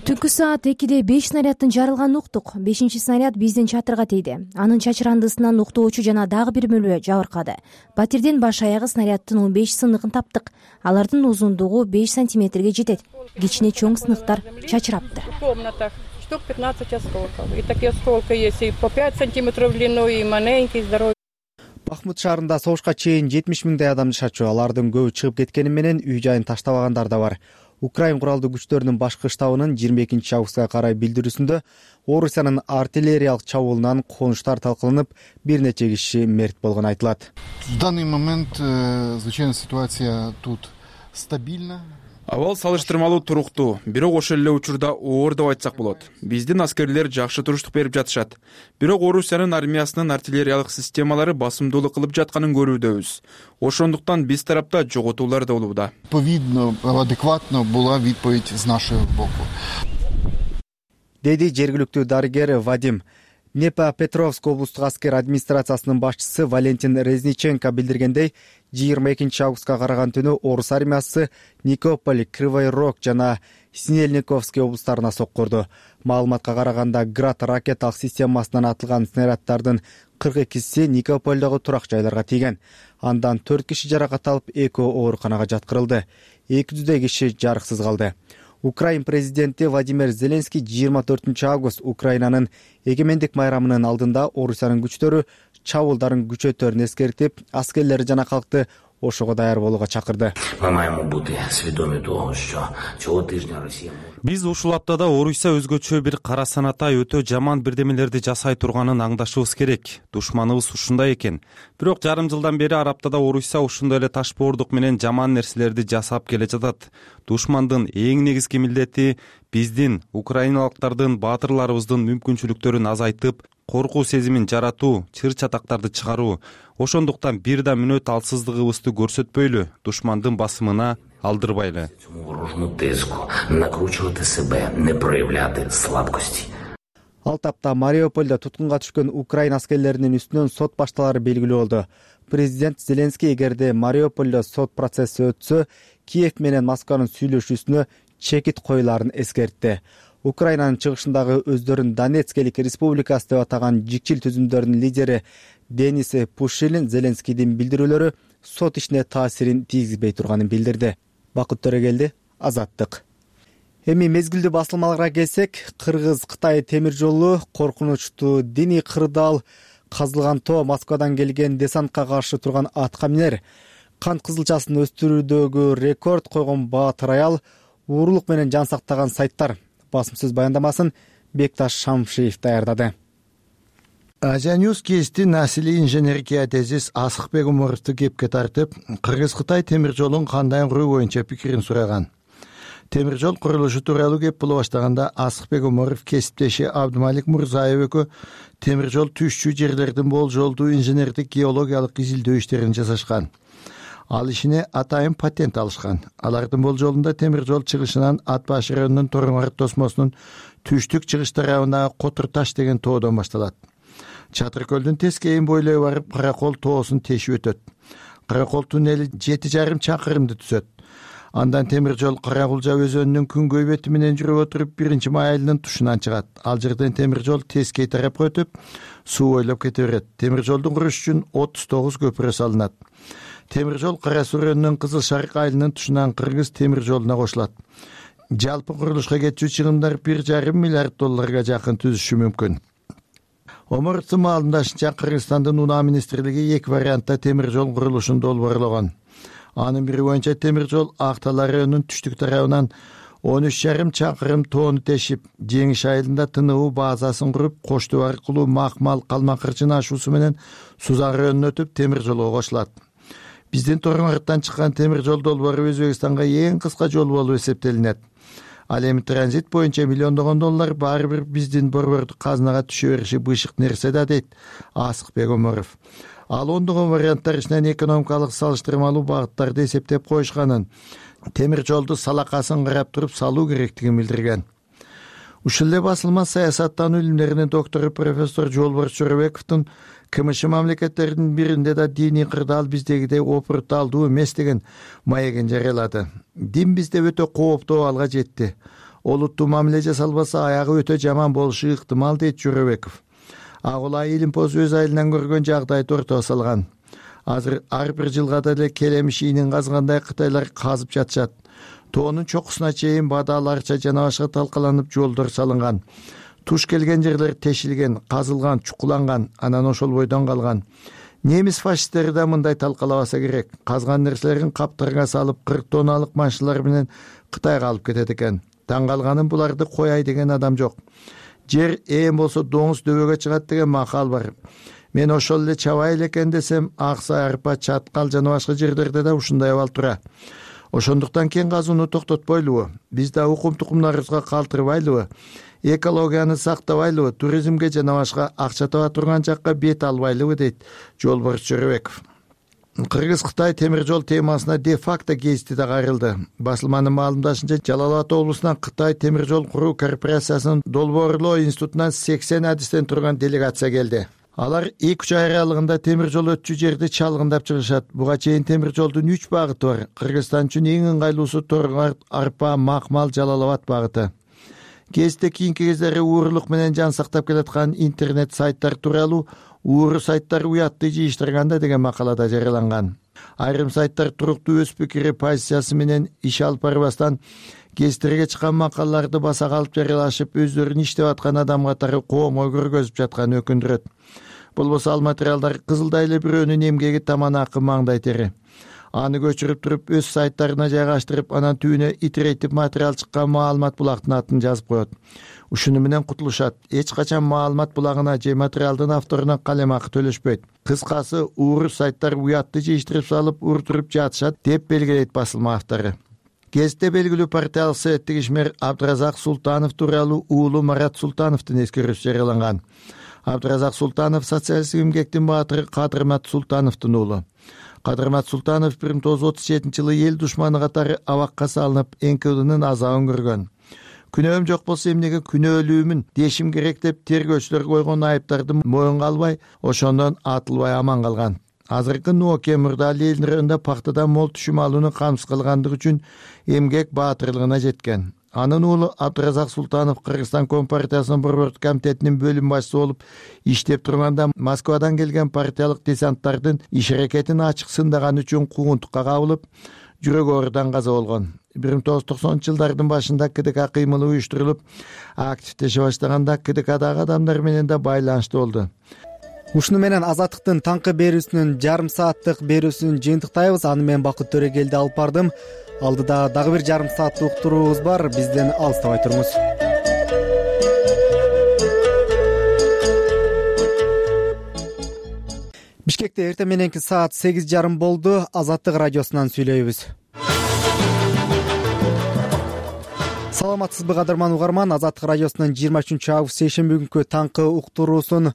Түнкү саат экиде беш снаряддын жарылганын уктук. Бешинчи снаряд биздин чатырга тийди. Анын чачырандысынан уктоочу жана дагы бир мөлө жабыркады. Батирдин баш аягы снаряддын он беш сыныгын таптык. Алардын узундугу беш сантиметрге жетет. Кичине чоң сыныктар чачырапты. В комнатах штук пятнадцать осколков. И такие осколки есть и по пять сантиметров длиной, и маленький, здоровый. Бахмут шаарында согушка чейин жетимиш миңдей адам жашачу. Алардын көбү чыгып кеткени менен үй жайын таштабагандар да бар. Украин куралдуу күчтөрүнүн башкы штабынын жыйырма экинчи августка карай билдирүүсүндө Орусиянын артиллериялык чабуулунан конуштар талкаланып, бир нече киши мерт болгону айтылат. В данный момент звычайно ситуация тут стабильна. Абал салыштырмалуу туруктуу, бирок ошол эле учурда оор деп айтсак болот. Биздин аскерлер жакшы туруштук берип жатышат. Бирок Орусиянын армиясынын артиллериялык системалары басымдуулук кылып жатканын көрүүдөбүз. Ошондуктан биз тарапта жоготуулар да болууда. Повидно, адекватно була відповідь з нашого боку. Деди жергиликтүү дарыгер Вадим. Днепропетровск облустук аскер администрациясынын башчысы Валентин Резниченко билдиргендей, жыйырма экинчи августка караган түнү орус армиясы Никополь, Кривой Рог жана Снельниковский облустарына сокку урду. Маалыматка караганда Град ракеталык системасынан атылган снаряддардын кырк экиси Никопольдогу турак жайларга тийген. Андан төрт киши жаракат алып, экөө ооруканага жаткырылды. эки жүздөй киши жарыксыз калды. Украин президенти Владимир Зеленский жыйырма төртүнчү август Украинанын эгемендик майрамынын алдында Орусиянын күчтөрү чабуулдарын күчөтөрүн эскертип, аскерлери жана калкты ошого даяр болууга чакырды. Биз ушул аптада Орусия өзгөчө бир кара санатай өтө жаман бирдемелерди жасай турганын аңдашыбыз керек. Душманыбыз ушундай экен. Бирок жарым жылдан бери Арабтада Орусия ушундай эле ташбоордук менен жаман нерселерди жасап келе жатат. Душмандын эң негизги милдети биздин, украиналыктардын, баатырларыбыздын мүмкүнчүлүктөрүн азайтып, коркуу сезимин жаратуу, чыр-чатактарды чыгаруу. Ошондуктан бир да мүнөт алсыздыгыбызды көрсөтпөйлү, душмандын басымына алдырбайлы. Ал тапта Мариупольдо туткунга түшкөн Украина аскерлеринин үстүнөн сот башталары белгилүү болду. Президент Зеленский эгерде Мариупольдо сот процесси өтсө, Киев менен Москванын сүйлөшүүсүнө чекит коюларын эскертти. Украинанын чыгышындагы өздөрүн Донецкелик республикасы деп атаган жикчил түзүмдөрдүн лидери Денис Пушилин Зеленскийдин билдирүүлөрү сот ишине таасирин тийгизбей турганын билдирди. Бакыт Төрөгелди, Азаттык. Эми мезгилдүү басылмаларга келсек, Кыргыз-Кытай темир жолу коркунучтуу диний кырдаал казылган тоо Москвадан келген десантка каршы турган атка минер кант кызылчасын өстүрүүдөгү рекорд койгон Баатыр аял уурулук менен жан сактаган сайттар. Басым сөз баяндамасын Бекташ Шамшиев даярдады. Азия Ньюс кести насилий инженер геодезист Асыкбек Умаровду кепке тартып, Кыргыз-Кытай темир жолун кандай куруу боюнча пикирин сураган. Темир жол курулушу тууралуу кеп боло баштаганда Асыкбек Умаров кесиптеши Абдымалик Мурзаев экөө темир жол түшчү жерлердин болжолдуу инженердик геологиялык изилдөө иштерин жасашкан. Ал ишине атайын патент алышкан. Алардын болжолунда темир жол чыгышынан Ат Баш районунун Торуңар тосмосунун түштүк чыгыш тарабындагы Котур таш деген тоодон башталат. Чатыр көлдүн тескейин бойлой барып Каракол тоосун тешип өтөт. Каракол туннели жети жарым чакырымды түзөт. Андан темир жол Каракулжа өзөнүнүн күнгөй бети менен жүрүп отуруп биринчи май айылынын тушунан чыгат. Ал жерден темир жол тескей тарапка өтүп, суу бойлоп кете берет. Темир жолдун куруш үчүн отуз тогуз көпүрө салынат. Темир жол Кара Суу районунун Кызыл Шарык айылынын тушунан Кыргыз темир жолуна кошулат. Жалпы курулушка кетчү чыгымдар бир жарым миллиард долларга жакын түзүшү мүмкүн. Омуровдун маалымдашынча, Кыргызстандын унаа министрлиги эки вариантта темир жол курулушун долбоорлогон. Анын бири боюнча темир жол Актала районунун түштүк тарабынан он үч жарым чакырым тоону тешип, Жеңиш айылында тыныбуу базасын куруп, Кошту аркылуу Макмал Калмакырчын ашуусу менен Сузак районуна өтүп темир жолго кошулат. Биздин Торуңардан чыккан темир жол долбоору Өзбекстанга эң кыска жол болуп эсептелинет. Ал эми транзит боюнча миллиондогон доллар баары бир биздин борбордук казынага түшө бериши бышык нерсе да, дейт Асыкбек Умаров. Ал ондогон варианттар ичинен экономикалык салыштырмалуу багыттарды эсептеп коюшканын, темир жолду салакасын карап туруп салуу керектигин билдирген. Ушул эле басылма саясаттануу илимдеринин доктору профессор Жолборс Жорабековдун КМШ мамлекеттеринин биринде да диний кырдаал биздегидей опурталдуу эмес деген маегин жарыялады. Дин бизде өтө кооптуу абалга жетти. Олуттуу мамиле жасалбаса аягы өтө жаман болушу ыктымал, дейт Жорабеков. Агула Илимпоз өз айылынан көргөн жагдайды ортого салган. Азыр ар бир жылга деле келемиш ийнин казгандай Кытайлар казып жатышат. Тоонун чокусуна чейин бадал, арча жана башка талкаланып жолдор салынган. Туш келген жерлер тешилген, казылган, чукуланган, анан ошол бойдон калган. Немис фашисттери да мындай талкалабаса керек. Казган нерселерин каптарга салып, кырк тонналык машиналар менен Кытайга алып кетет экен. Таң калганым, буларды кояй деген адам жок. Жер ээн болсо доңуз дөбөгө чыгат деген макал бар. Мен ошол эле чабай элекен десем, Аксай, Арпа, Чаткал жана башка жерлерде да ушундай абал тура. Ошондуктан кен казууну токтотпойлубу? Биз да укум тукумдарыбызга калтырбайлыбы? Экологияны сактабайлыбы? Туризмге жана башка акча таба турган жакка бет албайлыбы, дейт Жолборс Жорабеков. Кыргыз-Кытай темир жол темасына де-факто гезити да кайрылды. Басылманын маалымдашынча, Жалал Абад облусунан Кытай темир жол куруу корпорациясынын долбоорлоо институтунан сексен адистен турган делегация келди. Алар эки үч ай аралыгында темир жол өтчү жерди чалгындап чыгышат. Буга чейин темир жолдун үч багыты бар. Кыргызстан үчүн эң ыңгайлуусу Торуңар, Арпа, Макмал, Жалал Абад багыты. Гезитте кийинки кездери уурулук менен жан сактап келаткан интернет сайттар тууралуу ууру сайттар уятты жыйыштырганда деген макалада жарыяланган. Айрым сайттар туруктуу өз пикири, позициясы менен иш алып барбастан гезиттерге чыккан макалаларды баса калып жарыялашып, өздөрүн иштеп аткан адам катары коомго көргөзүп жатканын өкүндүрөт. Болбосо ал материалдар кызылдай эле бирөөнүн эмгеги таман акы маңдай тери. Аны көчүрүп туруп өз сайттарына жайгаштырып, анан түбүнө итерейтип материал чыккан маалымат булактын атын жазып коет. Ушуну менен кутулушат. Эч качан маалымат булагына же материалдын авторуна калем акы төлөшпөйт. Кыскасы, ууру сайттар уятты жыйыштырып салып, уртуруп жатышат, деп белгилейт басылма автору. Гезитте белгилүү партиялык советтик ишмер Абдыразак Султанов тууралуу уулу Марат Султановдун эскерүүсү жарыяланган. Абдыразак Султанов социалисттик эмгектин баатыры Кадырмат Султановдун уулу. Кадырмат Султанов бир миң тогуз жүз отуз жетинчи жылы эл душманы катары абакка салынып, эн ка вэ дынын азабын көргөн. Күнөөм жок болсо эмнеге күнөөлүүмүн дешим керек деп тергөөчүлөр койгон айыптарды моюнга албай, ошондон атылбай аман калган. Азыркы Нуоке Мурдали элдин районунда пактадан мол түшүм алууну камсыз кылгандыгы үчүн эмгек баатырлыгына жеткен. Анын уулу Абдыразак Султанов Кыргызстан Компартиясынын борбордук комитетинин бөлүм башчысы болуп иштеп турганда Москвадан келген партиялык десанттардын иш аракетин ачык сындаганы үчүн куугунтукка кабылып, жүрөк оорудан каза болгон. бир миң тогуз жүз токсонунчу жылдардын башында ка дэ ка кыймылы уюштурулуп, активдеше баштаганда ка дэ кадагы адамдар менен да байланышты болду. ушуну менен Азаттыктын таңкы берүүсүнүн жарым сааттык берүүсүн жыйынтыктайбыз. Аны мен Бакыт Төрөгелди алып бардым. Алдыда дагы бир жарым сааттык уктуруубуз бар. Бизден алыстабай туруңуз. Бишкекте эртең мененки саат сегиз жарым болду. Азаттык радиосунан сүйлөйбүз. Саламатсызбы кадырман угарман, Азаттык радиосунун жыйырма үчүнчү август шейшемби күнкү таңкы уктуруусун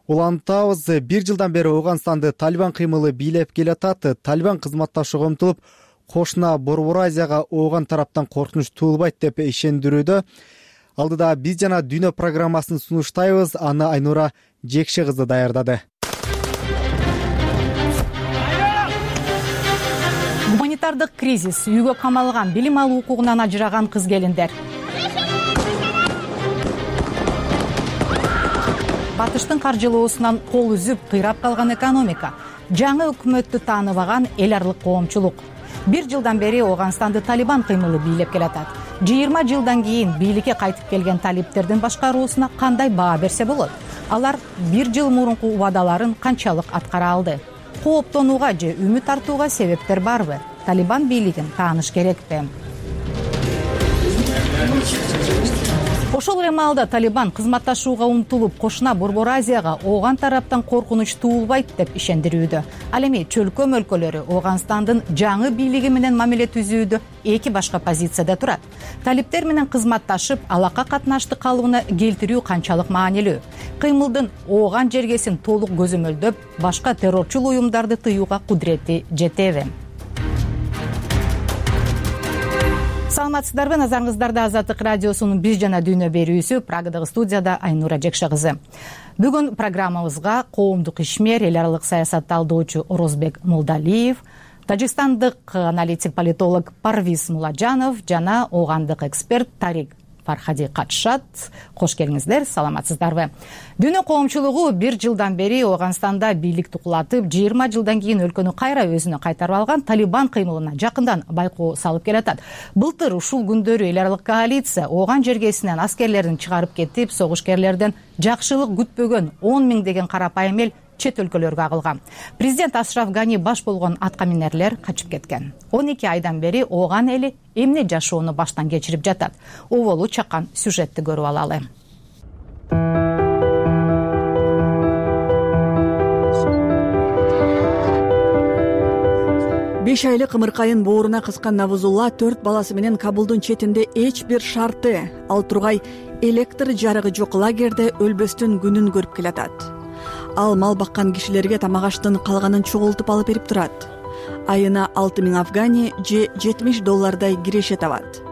улантабыз. Бир жылдан бери Ооганстанды Талибан кыймылы бийлеп келатат. Талибан кызматташууга умтулуп, кошуна Борбор Азияга Ооган тараптан коркунуч туулбайт деп ишендирүүдө. Алдыда биз жана дүйнө программасын сунуштайбыз. Аны Айнура Жекше кызы даярдады. Гуманитардык кризис, үйгө камалган, билим алуу укугунан ажыраган кыз-келиндер. Батыштын каржылоосунан кол үзүп, кыйрап калган экономика, жаңы өкмөттү тааныбаган эл аралык коомчулук. Бир жылдан бери Ооганстанды Талибан кыймылы бийлеп келатат. жыйырма жылдан кийин бийликке кайтып келген талиптердин башкаруусуна кандай баа берсе болот? Алар бир жыл мурунку убадаларын канчалык аткара алды? Кооптонууга же үмүт артууга себептер барбы? Талибан бийлигин тааныш керекпи? Ошол эле маалда Талибан кызматташууга умтулуп, кошуна Борбор Азияга Ооган тараптан коркунуч туулбайт деп ишендирүүдө. Ал эми чөлкөм өлкөлөрү Ооганстандын жаңы бийлиги менен мамиле түзүүдө эки башка позицияда турат. Талиптер менен кызматташып, алака катнашты калыбына келтирүү канчалык маанилүү? Кыймылдын Ооган жергесин толук көзөмөлдөп, башка террорчул уюмдарды тыюуга кудурети жетеби? Саламатсыздарбы, назарыңыздарда Азаттык радиосунун биз жана дүйнө берүүсү, Прагадагы студияда Айнура Жекше кызы. Бүгүн программабызга коомдук ишмер, эл аралык саясат талдоочу Орозбек Молдалиев, тажикстандык аналитик политолог Парвиз Муладжанов жана оогандык эксперт Тарик Фархади катышат. Кош келиңиздер, саламатсыздарбы? Дүйнө коомчулугу бир жылдан бери Ооганстанда бийликти кулатып, жыйырма жылдан кийин өлкөнү кайра өзүнө кайтарып алган Талибан кыймылына жакындан байкоо салып келатат. Былтыр ушул күндөрү эл аралык коалиция Ооган жергесинен аскерлерин чыгарып кетип, согушкерлерден жакшылык күтпөгөн он миңдеген карапайым эл чет өлкөлөргө агылган. Президент Ашраф Гани баш болгон аткаминерлер качып кеткен. он эки айдан бери Ооган эли эмне жашоону баштан кечирип жатат? Оболу чаккан сюжетти көрүп алалы. беш айлык ымыркайын бооруна кыскан Навузулла төрт баласы менен Кабулдун четинде эч бир шарты, ал тургай электр жарыгы жок лагерде өлбөстүн күнүн көрүп келатат. Ал мал баккан кишилерге тамак аштын калганын чогултуп алып берип турат. Айына алты миң афгани же жетимиш доллардай киреше табат.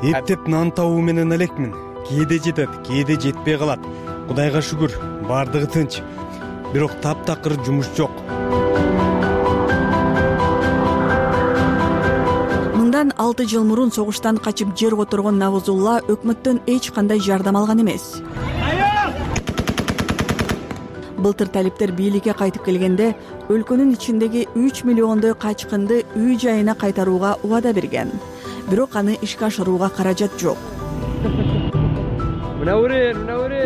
Эптеп нан табуу менен элекмин. Кээде жетет, кээде жетпей калат. Кудайга шүгүр, бардыгы тынч. Бирок таптакыр жумуш жок. Мындан алты жыл мурун согуштан качып жер которгон Навузулла өкмөттөн эч кандай жардам алган эмес. Былтыр талиптер бийликке кайтып келгенде өлкөнүн ичиндеги үч миллиондой качкынды үй жайына кайтарууга убада берген. Бирок аны ишке ашырууга каражат жок.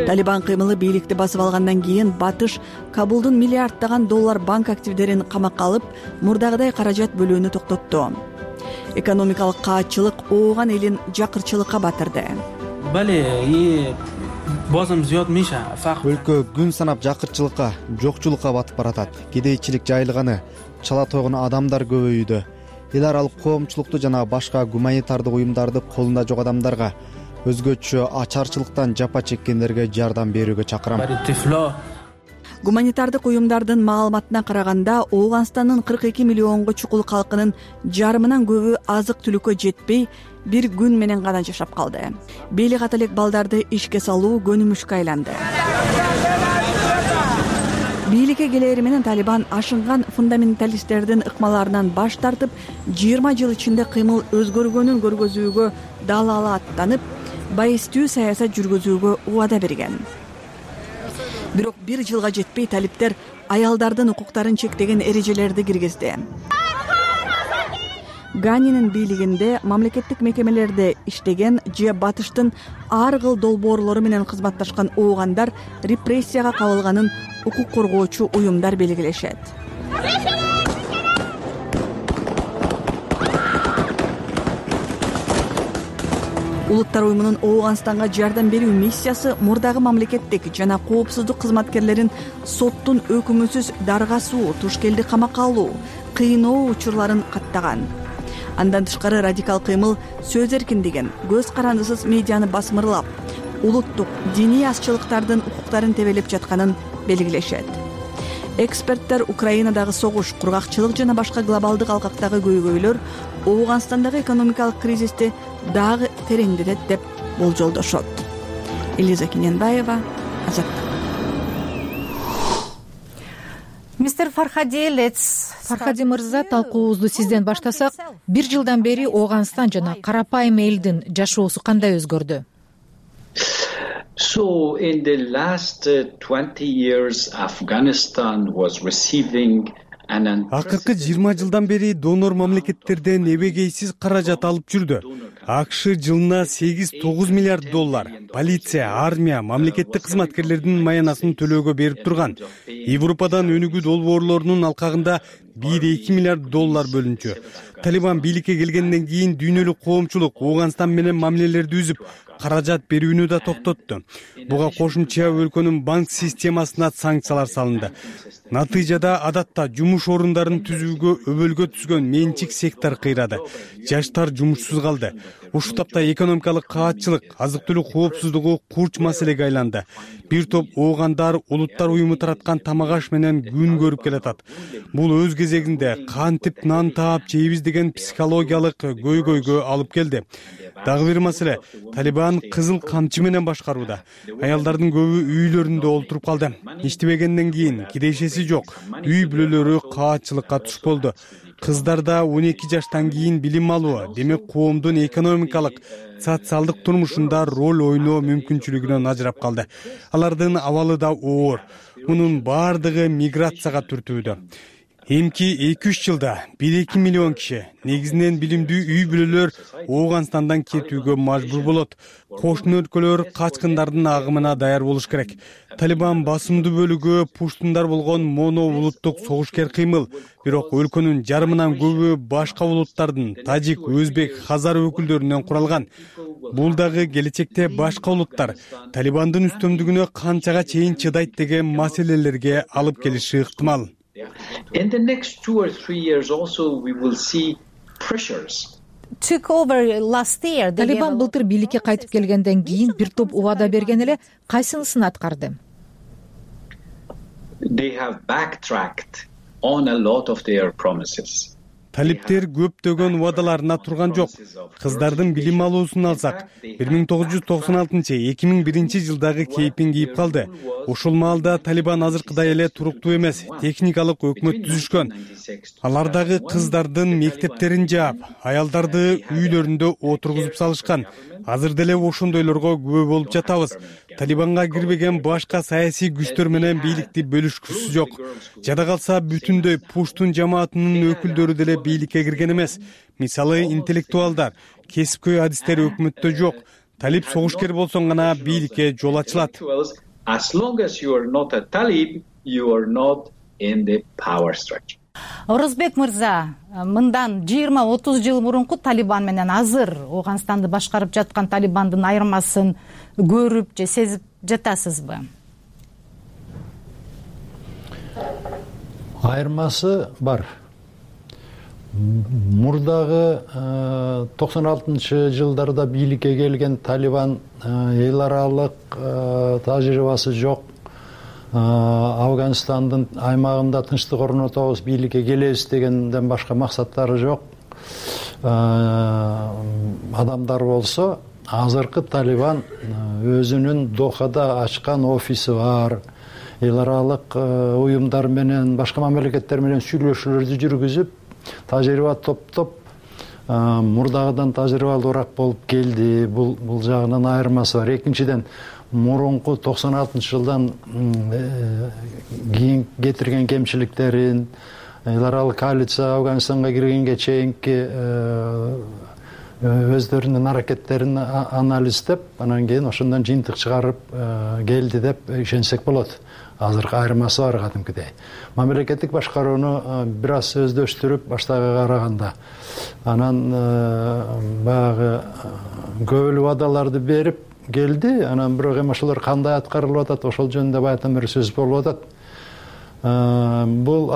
Талибан кыймылы бийликти басып алгандан кийин Батыш Кабулдун миллиарддаган доллар банк активдерин камакка алып, мурдагыдай каражат бөлүүнү токтотту. Экономикалык каатчылык Ооган элин жакырчылыкка батырды. Өлкө күн санап жакырчылыкка, жокчулукка батып баратат. Кедейчилик жайылганы, чала тойгон адамдар көбөйүүдө. Эл аралык коомчулукту жана башка гуманитардык уюмдарды колунда жок адамдарга, өзгөчө ачарчылыктан жапа чеккендерге жардам берүүгө чакырам. Гуманитардык уюмдардын маалыматына караганда, Ооганстандын кырк эки миллионго чукул калкынын жарымынан көбү азык-түлүккө жетпей, бир күн менен гана жашап калды. Бели ката элек балдарды ишке салуу көнүмүшкө айланды. Бийликке келери менен Талибан ашынган фундаменталисттердин ыкмаларынан баш тартып, жыйырма жыл ичинде кыймыл өзгөргөнүн көргөзүүгө далала аттанып, байыстуу саясат жүргүзүүгө убада берген. Бирок бир жылга жетпей талиптер аялдардын укуктарын чектеген эрежелерди киргизди. Ганинин бийлигинде мамлекеттик мекемелерде иштеген же батыштын ар кыл долбоорлору менен кызматташкан оогандар репрессияга кабылганын укук коргоочу уюмдар белгилешет. Улуттар уюмунун Ооганстанга жардам берүү миссиясы мурдагы мамлекеттик жана коопсуздук кызматкерлерин соттун өкүмүсүз даргасуу, тушкелди камакка алуу, кыйноо учурларын каттаган. Андан тышкары радикал кыймыл сөз эркиндигин, көз карандысыз медианы басмырлап, улуттук, диний азчылыктардын укуктарын тебелеп жатканын белгилешет. Эксперттер Украинадагы согуш, кургакчылык жана башка глобалдык алкактагы көйгөйлөр Ооганстандагы экономикалык кризисти дагы тереңдетет деп болжолдошот. Элиза Кененбаева, Азаттык. Мистер Фархади, let's Фархади мырза, талкуубузду сизден баштасак, бир жылдан бери Ооганстан жана карапайым элдин жашоосу кандай өзгөрдү? So in the last twenty years Afghanistan was receiving акыркы жыйырма жылдан бери донор мамлекеттерден эбегейсиз каражат алып жүрдү. АКШ жылына сегиз тогуз миллиард доллар полиция, армия, мамлекеттик кызматкерлердин маянасын төлөөгө берип турган. Европадан өнүгүү долбоорлорунун алкагында бир эки миллиард доллар бөлүнчү. Талибан бийликке келгенден кийин дүйнөлүк коомчулук Ооганстан менен мамилелерди үзүп, каражат берүүнү да токтотту. Буга кошумча өлкөнүн банк системасына санкциялар салынды. Натыйжада адатта жумуш орундарын түзүүгө өбөлгө түзгөн менчик сектор кыйрады. Жаштар жумушсуз калды. Ушул тапта экономикалык каатчылык, азык-түлүк коопсуздугу курч маселеге айланды. Бир топ оогандар улуттар уюму тараткан тамак аш менен күн көрүп келатат. Бул өз кезегинде кантип нан таап жейбиз деген психологиялык көйгөйгө алып келди. Дагы бир маселе, Талибан кызыл камчы менен башкарууда. Аялдардын көбү үйлөрүндө олтуруп калды. Иштебегенден кийин кирешеси жок. Үй бүлөлөрү каатчылыкка туш болду. Кыздарда он эки жаштан кийин билим алуу, демек коомдун экономикалык, социалдык турмушунда роль ойноо мүмкүнчүлүгүнөн ажырап калды. Алардын абалы да оор. Мунун бардыгы миграцияга түртүүдө. Эмки эки үч жылда бир эки миллион киши, негизинен билимдүү үй бүлөлөр Ооганстандан кетүүгө мажбур болот. Кошуна өлкөлөр качкындардын агымына даяр болуш керек. Талибан басымдуу бөлүгү пуштундар болгон моно улуттук согушкер кыймыл. Бирок өлкөнүн жарымынан көбү башка улуттардын, тажик, өзбек, хазар өкүлдөрүнөн куралган. Бул дагы келечекте башка улуттар Талибандын үстөмдүгүнө канчага чейин чыдайт деген маселелерге алып келиши ыктымал. In the next two or three years also we will see pressures. Took over last year. Талибан былтыр бийликке кайтып келгенден кийин бир топ убада берген эле, кайсынысын аткарды? They have backtracked on a lot of their promises. Талиптер көптөгөн убадаларына турган жок. Кыздардын билим алуусун алсак, бир миң тогуз жүз токсон алтынчы эки миң биринчи жылдагы кейпин кийип калды. Ошол маалда Талибан азыркыдай эле туруктуу эмес, техникалык өкмөт түзүшкөн. Алар дагы кыздардын мектептерин жаап, аялдарды үйлөрүндө отургузуп салышкан. Азыр деле ошондойлорго күбө болуп жатабыз. Талибанга кирбеген башка саясий күчтөр менен бийликти бөлүшкүсү жок. Жада калса бүтүндөй пуштун жамаатынын өкүлдөрү деле бийликке кирген эмес. Мисалы, интеллектуалдар, кесипкөй адистер өкмөттө жок. Талиб согушкер болсоң гана бийликке жол ачылат. As long as you are not a Talib, you are not in the power structure. Орозбек мырза, мындан жыйырма отуз жыл мурунку Талибан менен азыр Ооганстанды башкарып жаткан Талибандын айырмасын көрүп же сезип жатасызбы? Айырмасы бар. Мурдагы токсон алтынчы жылдарда бийликке келген Талибан эл аралык тажрыйбасы жок. Афганистандын аймагында тынчтык орнотобуз, бийликке келебиз дегенден башка максаттары жок. Адамдар болсо, азыркы Талибан өзүнүн Дохада ачкан офиси бар. Эл аралык уюмдар менен, башка мамлекеттер менен сүйлөшүүлөрдү жүргүзүп, тажрыйба топтоп, мурдагыдан тажрыйбалуураак болуп келди. Бул бул жагынан айырмасы бар. Экинчиден, мурунку токсон алтынчы жылдан кийин кетирген кемчиликтерин, эл аралык коалиция Афганистанга киргенге чейинки өздөрүнүн аракеттерин анализдеп анан кийин ошондон жыйынтык чыгарып келди деп ишенсек болот. Азыркы айырмасы бар кадимкидей. Мамлекеттик башкарууну бир аз өздөштүрүп баштагыга караганда анан баягы көбүлүк убадаларды берип келди. Анан бирок эми ошолор кандай аткарылып атат, ошол жөнүндө баягыдан бери сөз болуп атат. Бул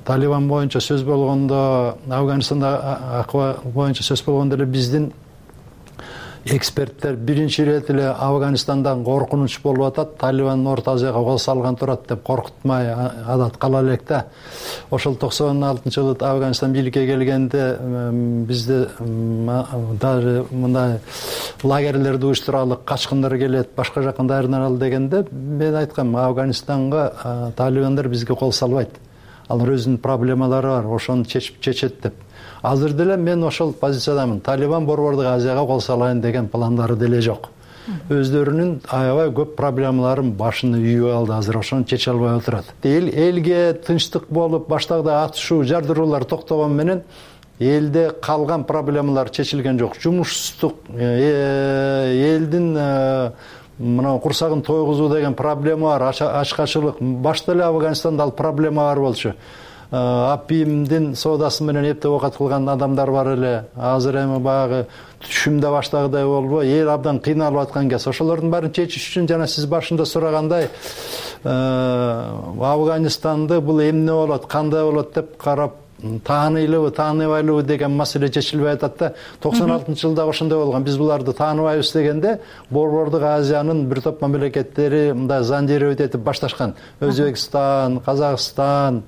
Талибан боюнча сөз болгондо, Афганистанда акыбар боюнча сөз болгондо эле биздин эксперттер биринчи ирет эле Афганистандан коркунуч болуп атат. Талибан Орто Азияга кол салган турат деп коркутмай адат кала элек да. Ошол токсон алтынчы жылы Афганистан бийликке келгенде бизде даже мындай лагерлерди уюштуралык, качкындар келет, башка жактан даярданалы дегенде мен айткам, Афганистанга талибандар бизге кол салбайт. Алар өзүнүн проблемалары бар, ошону чечип чечет деп. Азыр деле мен ошол позициядамын. Талибан Борбордук Азияга кол салайын деген пландары деле жок. Өздөрүнүн аябай көп проблемаларын башына үйүп алды, азыр ошону чече албай отурат. Эл элге тынчтык болуп, баштагыдай атышуу, жардыруулар токтогон менен элде калган проблемалар чечилген жок. Жумушсуздук, элдин мына курсагын тойгузуу деген проблема бар, ачкачылык. Башта эле Афганистанда ал проблема бар болчу. Апимдин соодасы менен эптеп оокат кылган адамдар бар эле. Азыр эми баягы түшүмдө баштагыдай болбой, эл абдан кыйналып аткан кез. Ошолордун баарын чечиш үчүн жана сиз башында сурагандай Афганистанды бул эмне болот, кандай болот деп карап тааныйлыбы, тааныбайлыбы деген маселе чечилбей атат да. токсон алтынчы жылда ошондой болгон. Биз буларды тааныбайбыз дегенде Борбордук Азиянын бир топ мамлекеттери мындай зондировать этип башташкан. Өзбекстан, Казакстан,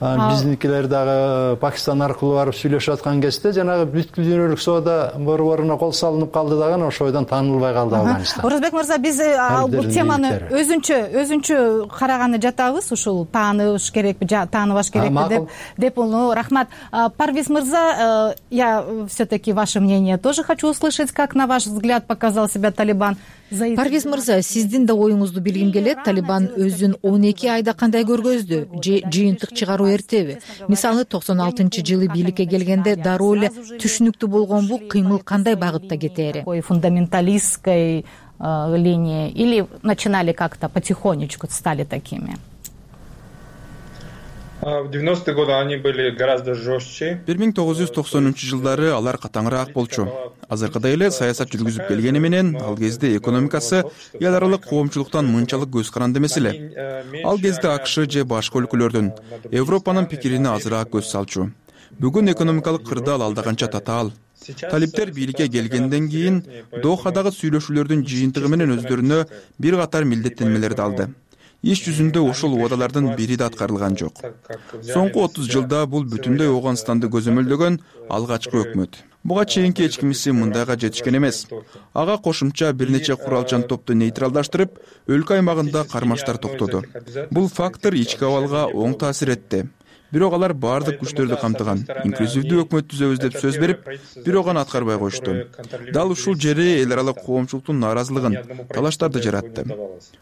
биздикилер дагы Пакистан аркылуу барып сүйлөшүп аткан кезде жанагы бүткүл дүйнөлүк соода борборуна кол салынып калды дагы ошойдон таанылбай калды Афганистан. Орозбек мырза, биз бул теманы өзүнчө өзүнчө караганы жатабыз. Ушул тааныбыш керекпи, тааныбаш керекпи деп деп рахмат. Парвиз мырза, я все-таки ваше мнение тоже хочу услышать, как на ваш взгляд показал себя Талибан. Парвиз мырза, сиздин да оюңузду билгим келет. Талибан өзүн он эки айда кандай көргөздү? Же жыйынтык чыгаруу эртеби? Мисалы токсон алтынчы жылы бийликке келгенде дароо эле түшүнүктүү болгон бул кыймыл кандай багытта кетери? Фундаменталистской линии или начинали как-то потихонечку стали такими? В девяностые годы они были гораздо жестче. бир миң тогуз жүз токсонунчу жылдары алар катаңыраак болчу. Азыркыдай эле саясат жүргүзүп келгени менен ал кезде экономикасы эл аралык коомчулуктан мынчалык көз каранды эмес эле. Ал кезде АКШ же башка өлкөлөрдүн, Европанын пикирине азыраак көз салчу. Бүгүн экономикалык кырдаал алда канча татаал. Талиптер бийликке келгенден кийин Дохадагы сүйлөшүүлөрдүн жыйынтыгы менен өздөрүнө бир катар милдеттенмелерди алды. Иш жүзүндө ошол убадалардын бири да аткарылган жок. Соңку отуз жылда бул бүтүндөй Афганистанды көзөмөлдөгөн алгачкы өкмөт. Буга чейинки эч кимиси мындайга жетишкен эмес. Ага кошумча бир нече куралчан топту нейтралдаштырып, өлкө аймагында кармаштар токтоду. Бул фактор ички абалга оң таасир этти. Бирок алар бардык күчтөрдү камтыган. Инклюзивдүү өкмөт түзөбүз деп сөз берип, бирок аны аткарбай коюшту. Дал ушул жери эл аралык коомчулуктун нааразылыгын, талаштарды жаратты.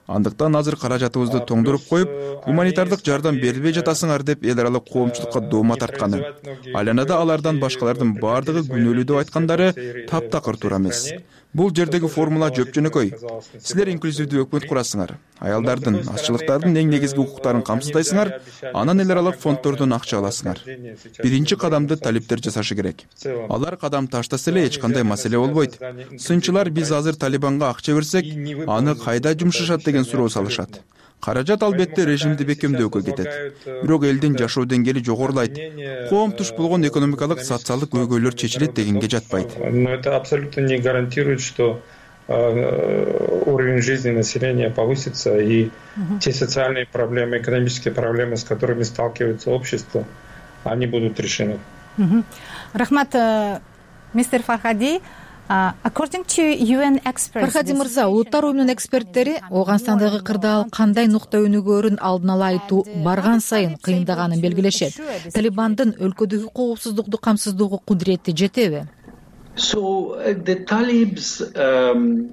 Андыктан азыр каражатыбызды тоңдуруп коюп, гуманитардык жардам берилбей жатасыңар деп эл аралык коомчулукка доома тартканы. Айланада алардан башкалардын бардыгы күнөөлүү деп айткандары таптакыр туура эмес. Бул жердеги формула жөп жөнөкөй. Силер инклюзивдүү өкмөт курасыңар, аялдардын, азчылыктардын эң негизги укуктарын камсыздайсыңар, анан эл аралык фонддордон акча аласыңар. Биринчи кадамды талиптер жасашы керек. Алар кадам таштаса эле эч кандай маселе болбойт. Сынчылар биз азыр Талибанга акча берсек, аны кайда жумшашат деген суроо салышат. Каражат албетте режимди бекемдөөгө кетет. Бирок элдин жашоо деңгээли жогорулайт. Коом туш болгон экономикалык, социалдык көйгөйлөр чечилет дегенге жатпайт. Но это абсолютно не гарантирует, что уровень жизни населения повысится и те социальные проблемы, экономические проблемы, с которыми сталкивается общество, они будут решены. Рахмат, мистер Фархади. Фархади мырза, улуттар уюмунун эксперттери Афганистандагы кырдаал кандай нукта өнүгөөрүн алдын ала айтуу барган сайын кыйындаганын белгилешет. Талибандын өлкөдөгү коопсуздукту камсыздоого кудурети жетеби? So the Talibs um,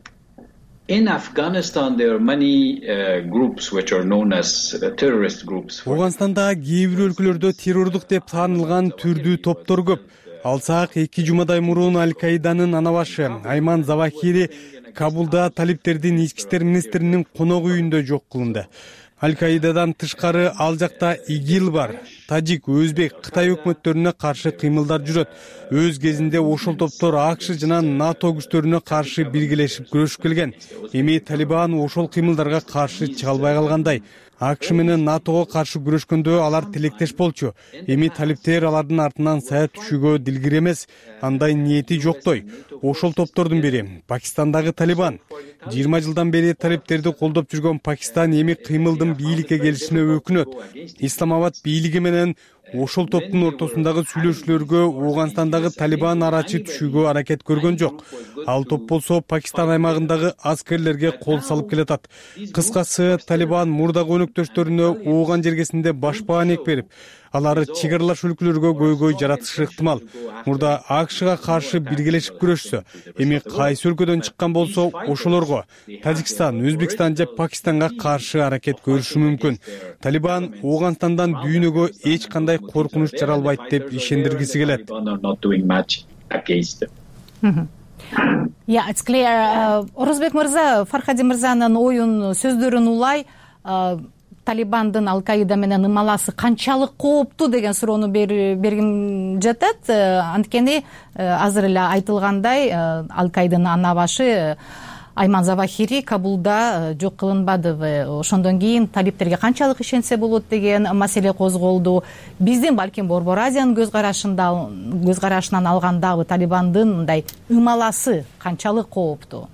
In Afghanistan, there are many uh, groups which are known as uh, terrorist groups. Ооганстанда кээ бир өлкөлөрдө террордук деп таанылган түрдүү топтор көп. Алсак, эки жумадай мурун Аль-Каиданын анабашы Айман Завахири Кабулда талиптердин ички иштер министринин конок үйүндө жок кылынды. Аль-Каидадан тышкары ал жакта ИГИЛ бар. Тажик, Өзбек, Кытай өкмөттөрүнө каршы кыймылдар жүрөт. Өз кезинде ошол топтор АКШ жана НАТО күчтөрүнө каршы биргелешип күрөшүп келген. Эми Талибан ошол кыймылдарга каршы чыга албай калгандай. АКШ менен НАТОго каршы күрөшкөндө алар тилектеш болчу. Эми талиптер алардын артынан сая түшүүгө дилгир эмес, андай ниети жоктой. Ошол топтордун бири Пакистандагы Талибан. жыйырма жылдан бери талиптерди колдоп жүргөн Пакистан эми кыймылдын бийликке келишине өкүнөт. Исламабад бийлиги менен ошол топтун ортосундагы сүйлөшүүлөргө Ооганстандагы Талибан арачы түшүүгө аракет көргөн жок. Ал топ болсо Пакистан аймагындагы аскерлерге кол салып келатат. Кыскасы, Талибан мурдагы өнөктөштөрүнө Ооган жергесинде башпаанек берип, алар чек аралаш өлкөлөргө көйгөй жаратышы ыктымал. Мурда АКШга каршы биргелешип күрөшсө, эми кайсы өлкөдөн чыккан болсо ошолорго Тажикстан, Өзбекстан же Пакистанга каршы аракет көрүшү мүмкүн. Талибан Ооганстандан дүйнөгө эч кандай коркунуч жаралбайт деп ишендиргиси келет. Yeah, it's clear. Орозбек мырза, Фархади мырзанын оюн сөздөрүн улай, Талибандын Аль-Каида менен ымаласы канчалык кооптуу деген суроону бергим жатат. Анткени азыр эле айтылгандай, Аль-Каиданын анабашы Айман Завахири Кабулда жок кылынбадыбы. Ошондон кийин талиптерге канчалык ишенсе болот деген маселе козголду. Биздин балким Борбор Азиянын көз карашында көз карашынан алгандагы Талибандын мындай ымаласы канчалык кооптуу?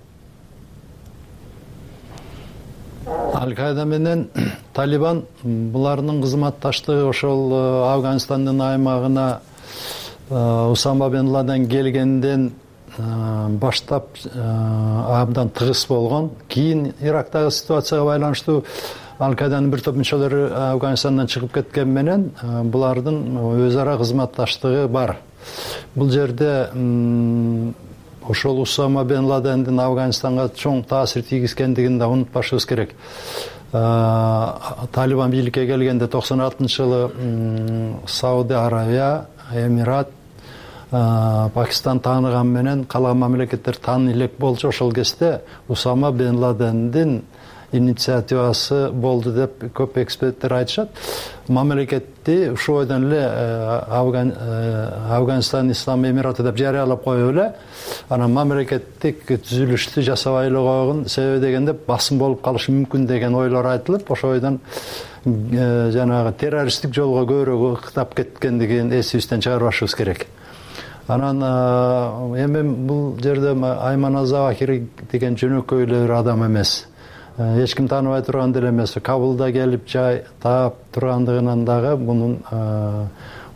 Аль-Каида менен Талибан булардын кызматташтыгы ошол Афганистандын аймагына Усама бен Ладен келгенден баштап абдан тыгыз болгон. Кийин Ирактагы ситуацияга байланыштуу Аль-Каиданын бир топ мүчөлөрү Афганистандан чыгып кеткен менен булардын өз ара кызматташтыгы бар. Бул жерде ошол Усама бен Ладендин Афганистанга чоң таасир тийгизгендигин да унутпашыбыз керек. Талибан бийликке келгенде токсон алтынчы жылы Сауди Арабия, Эмират, Пакистан тааныган менен калган мамлекеттер тааны элек болчу. Ошол кезде Усама бен Ладендин инициативасы болду деп көп эксперттер айтышат. Мамлекетти ушул бойдон эле Афганистан Ислам Эмираты деп жарыялап коюп эле, анан мамлекеттик түзүлүштү жасабай эле койгон. Себеби дегенде басым болуп калышы мүмкүн деген ойлор айтылып, ошол бойдон жанагы террористтик жолго көбүрөөк ыктап кеткендигин эсибизден чыгарбашыбыз керек. Анан эми бул жерде Айман Завахири деген жөнөкөй эле бир адам эмес. Эч ким тааныбай турган деле эмес. Кабулда келип жай таап тургандыгынан дагы мунун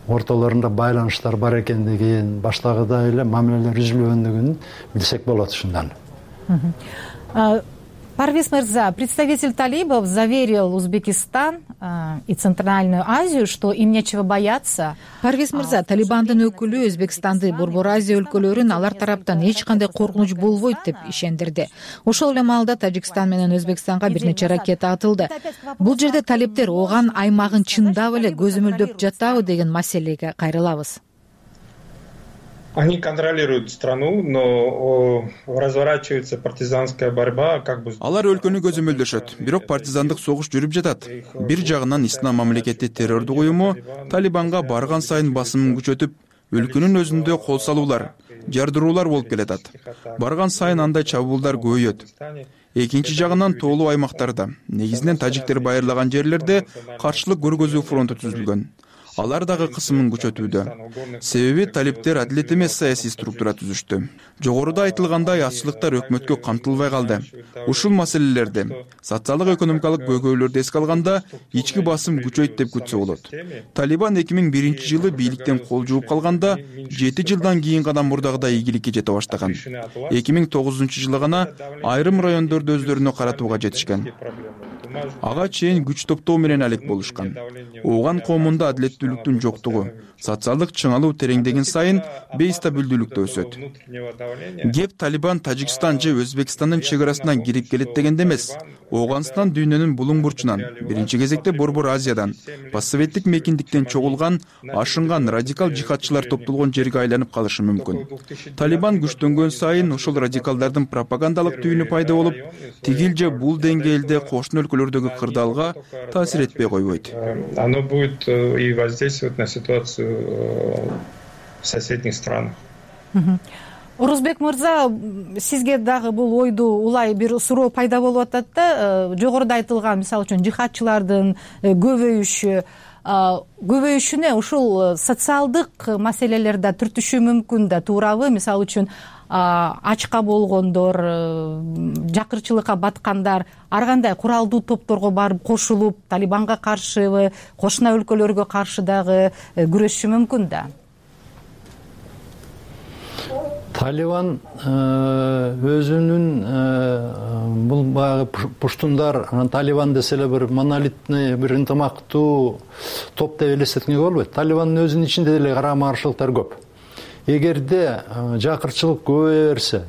ортолорунда байланыштар бар экендигин, баштагыдай эле мамилелер үзүлгөндүгүн билсек болот ушундан. Парвиз мырза, представитель талибов заверил Узбекистан и Центральную Азию, что им нечего бояться. Парвиз мырза, Талибандын өкүлү Өзбекстанды, Борбор Азия өлкөлөрүн алар тараптан эч кандай коркунуч болбойт деп ишендирди. Ошол эле маалда Тажикстан менен Өзбекстанга бир нече ракета атылды. Бул жерде талиптер Ооган аймагын чындап эле көзөмөлдөп жатабы деген маселеге кайрылабыз. Они контролируют страну, но разворачивается партизанская борьба, как бы. Алар өлкөнү көзөмөлдөшөт, бирок партизандык согуш жүрүп жатат. Бир жагынан Ислам мамлекети террордук уюму Талибанга барган сайын басымын күчөтүп, өлкөнүн өзүндө кол салуулар, жардыруулар болуп келатат. Барган сайын андай чабуулдар көбөйөт. Экинчи жагынан тоолуу аймактарда, негизинен тажиктер байырлаган жерлерде каршылык көргөзүү фронту түзүлгөн. Алар дагы кысымын күчөтүүдө. Себеби талиптер адилет эмес саясий структура түзүштү. Жогоруда айтылгандай аччылыктар өкмөткө камтылбай калды. Ушул маселелерди, социалдык экономикалык көйгөйлөрдү эске алганда ички басым күчөйт деп күтсө болот. Талибан эки миң биринчи жылы бийликтен кол жууп калганда жети жылдан кийин гана мурдагыдай ийгиликке жете баштаган. эки миң тогузунчу жылы гана айрым райондорду өздөрүнө каратууга жетишкен. ага чейин күч топтоо менен алек болушкан. Ооган коомунда адилеттүүлүктүн жоктугу, социалдык чыңалуу тереңдеген сайын бейстабилдүүлүк да өсөт. Кеп Талибан Тажикстан же Өзбекстандын чек арасынан кирип келет дегенде эмес. Ооганстан дүйнөнүн булуң бурчунан, биринчи кезекте Борбор Азиядан, постсоветтик мекиндиктен чогулган, ашынган радикал жихадчылар топтолгон жерге айланып калышы мүмкүн. Талибан күчтөнгөн сайын ошол радикалдардын пропагандалык түйүнү пайда болуп, тигил же бул деңгээлде кошуна өлкөлөрдөгү кырдаалга таасир этпей койбойт. Оно будет и воздействовать на ситуацию в соседних странах. Орозбек мырза, сизге дагы бул ойду улай бир суроо пайда болуп атат да, жогоруда айтылган мисалы үчүн жихадчылардын көбөйүшү, көбөйүшүнө ушул социалдык маселелер да түртүшү мүмкүн да, туурабы? Мисалы үчүн ачка болгондор, жакырчылыкка баткандар ар кандай куралдуу топторго барып кошулуп, Талибанга каршыбы, кошуна өлкөлөргө каршы дагы күрөшүшү мүмкүн да. Талибан өзүнүн бул баягы пуштундар, Талибан десе эле бир монолитный, бир ынтымактуу топ деп элестеткенге болбойт. Талибандын өзүнүн ичинде деле карама каршылыктар көп. Эгерде жакырчылык көбөйө берсе,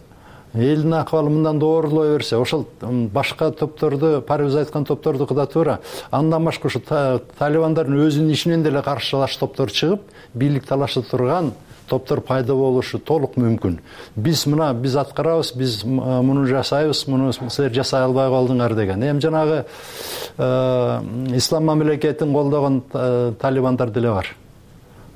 элдин акыбалы мындан доорлой берсе, ошол башка топторду, парыбыз айткан топтордуку да туура. Андан башка ушу Талибандардын өзүнүн ичинен деле каршылаш топтор чыгып, бийлик талаша турган топтор пайда болушу толук мүмкүн. Биз мына биз аткарабыз, биз муну жасайбыз, муну силер жасай албай калдыңар деген. Эми жанагы ислам мамлекетин колдогон талибандар деле бар.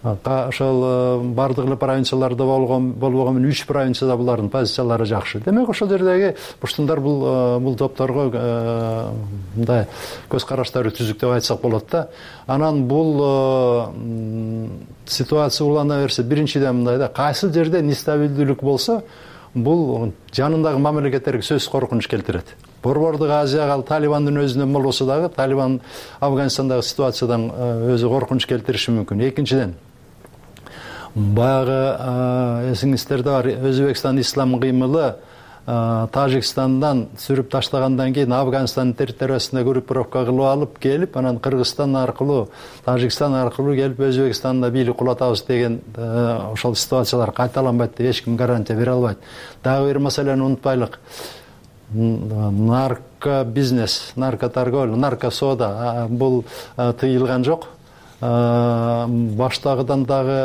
Ошол бардык эле провинцияларда болгон болбогон менен үч провинцияда булардын позициялары жакшы. Демек ошол жердеги пуштундар бул бул топторго мындай көз караштары түзүк деп айтсак болот да. Анан бул ситуация улана берсе, биринчиден мындай да, кайсы жерде нестабилдүүлүк болсо, бул жанындагы мамлекеттерге сөзсүз коркунуч келтирет. Борбордук Азияга Талибандын өзүнөн болбосо дагы, Талибан Афганистандагы ситуациядан өзү коркунуч келтириши мүмкүн. Экинчиден, баягы эсиңиздерде бар, Өзбекстан ислам кыймылы Тажикстандан сүрүп таштагандан кийин Афганистандын территориясында группировка кылып алып келип, анан Кыргызстан аркылуу, Тажикстан аркылуу келип Өзбекстанда бийлик кулатабыз деген ошол ситуациялар кайталанбайт деп эч ким гарантия бере албайт. Дагы бир маселени унутпайлык. Нарко бизнес, нарко торговля, нарко сода бул тыйылган жок. Баштагыдан дагы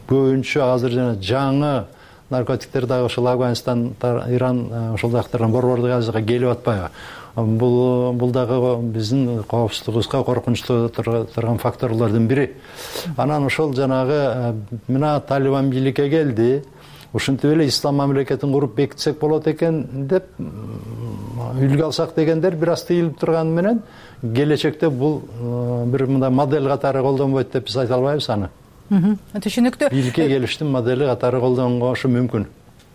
көбүнчө азыр жана жаңы наркотиктер дагы ошол Афганистан, Иран, ошол жактардан Борбордук Азияга келип атпайбы? Бул бул дагы биздин коопсуздугубузга коркунучтуу турган факторлордун бири. Анан ошол жанагы мына Талибан бийликке келди, ушинтип эле ислам мамлекетин куруп бекитсек болот экен деп үлгү алсак дегендер бир аз тыйылып турганы менен келечекте бул бир мындай модель катары колдонбойт деп биз айта албайбыз аны. Түшүнүктүү. Бийликке келиштин модели катары колдонгошу мүмкүн.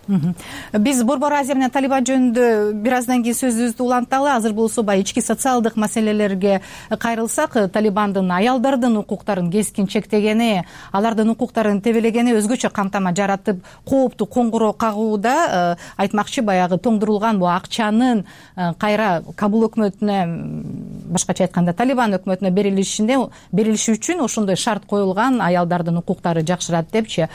Биз Борбор Азия менен Талибан жөнүндө бир аздан кийин сөзүбүздү уланталы. Азыр болсо баягы ички социалдык маселелерге кайрылсак, Талибандын аялдардын укуктарын кескин чектегени, алардын укуктарын тебелегени өзгөчө кантама жаратып, кооптуу коңгуроо кагууда. Айтмакчы, баягы тоңдурулган бул акчанын кайра Кабул өкмөтүнө, башкача айтканда Талибан өкмөтүнө берилишине берилиши үчүн ошондой шарт коюлган, аялдардын укуктары жакшырат депчи.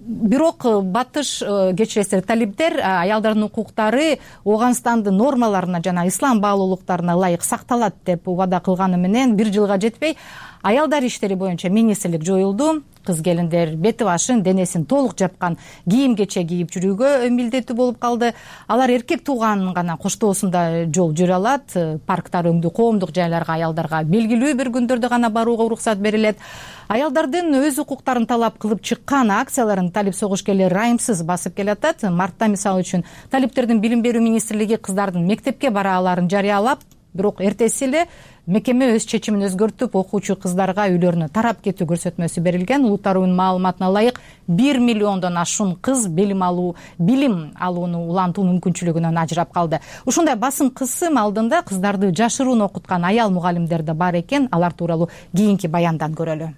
Бирок батыш кечиресиздер, талиптер аялдардын укуктары Ооганстандын нормаларына жана ислам баалуулуктарына ылайык сакталат деп убада кылганы менен бир жылга жетпей аялдар иштери боюнча министрлик жоюлду. Кыз келиндер бети башын, денесин толук жапкан кийим кече кийип жүрүүгө милдеттүү болуп калды. Алар эркек тууганын гана коштоосунда жол жүрө алат. Парктар, өңдүү коомдук жайларга аялдарга белгилүү бир күндөрдө гана барууга уруксат берилет. Аялдардын өз укуктарын талап кылып чыккан акцияларын талип согушкерлери райымсыз басып келатат. Мартта мисалы үчүн талиптердин билим берүү министрлиги кыздардын мектепке бара аларын жарыялап, бирок эртеси эле мекеме өз чечимин өзгөртүп, окуучу кыздарга үйлөрүнө тарап кетүү көрсөтмөсү берилген. Улуттарынын маалыматына ылайык бир миллиондон ашуун кыз билим алуу, билим алууну улантуу мүмкүнчүлүгүнөн ажырап калды. Ушундай басым кысым алдында кыздарды жашыруун окуткан аял мугалимдер да бар экен. Алар тууралуу кийинки баяндан көрөлү.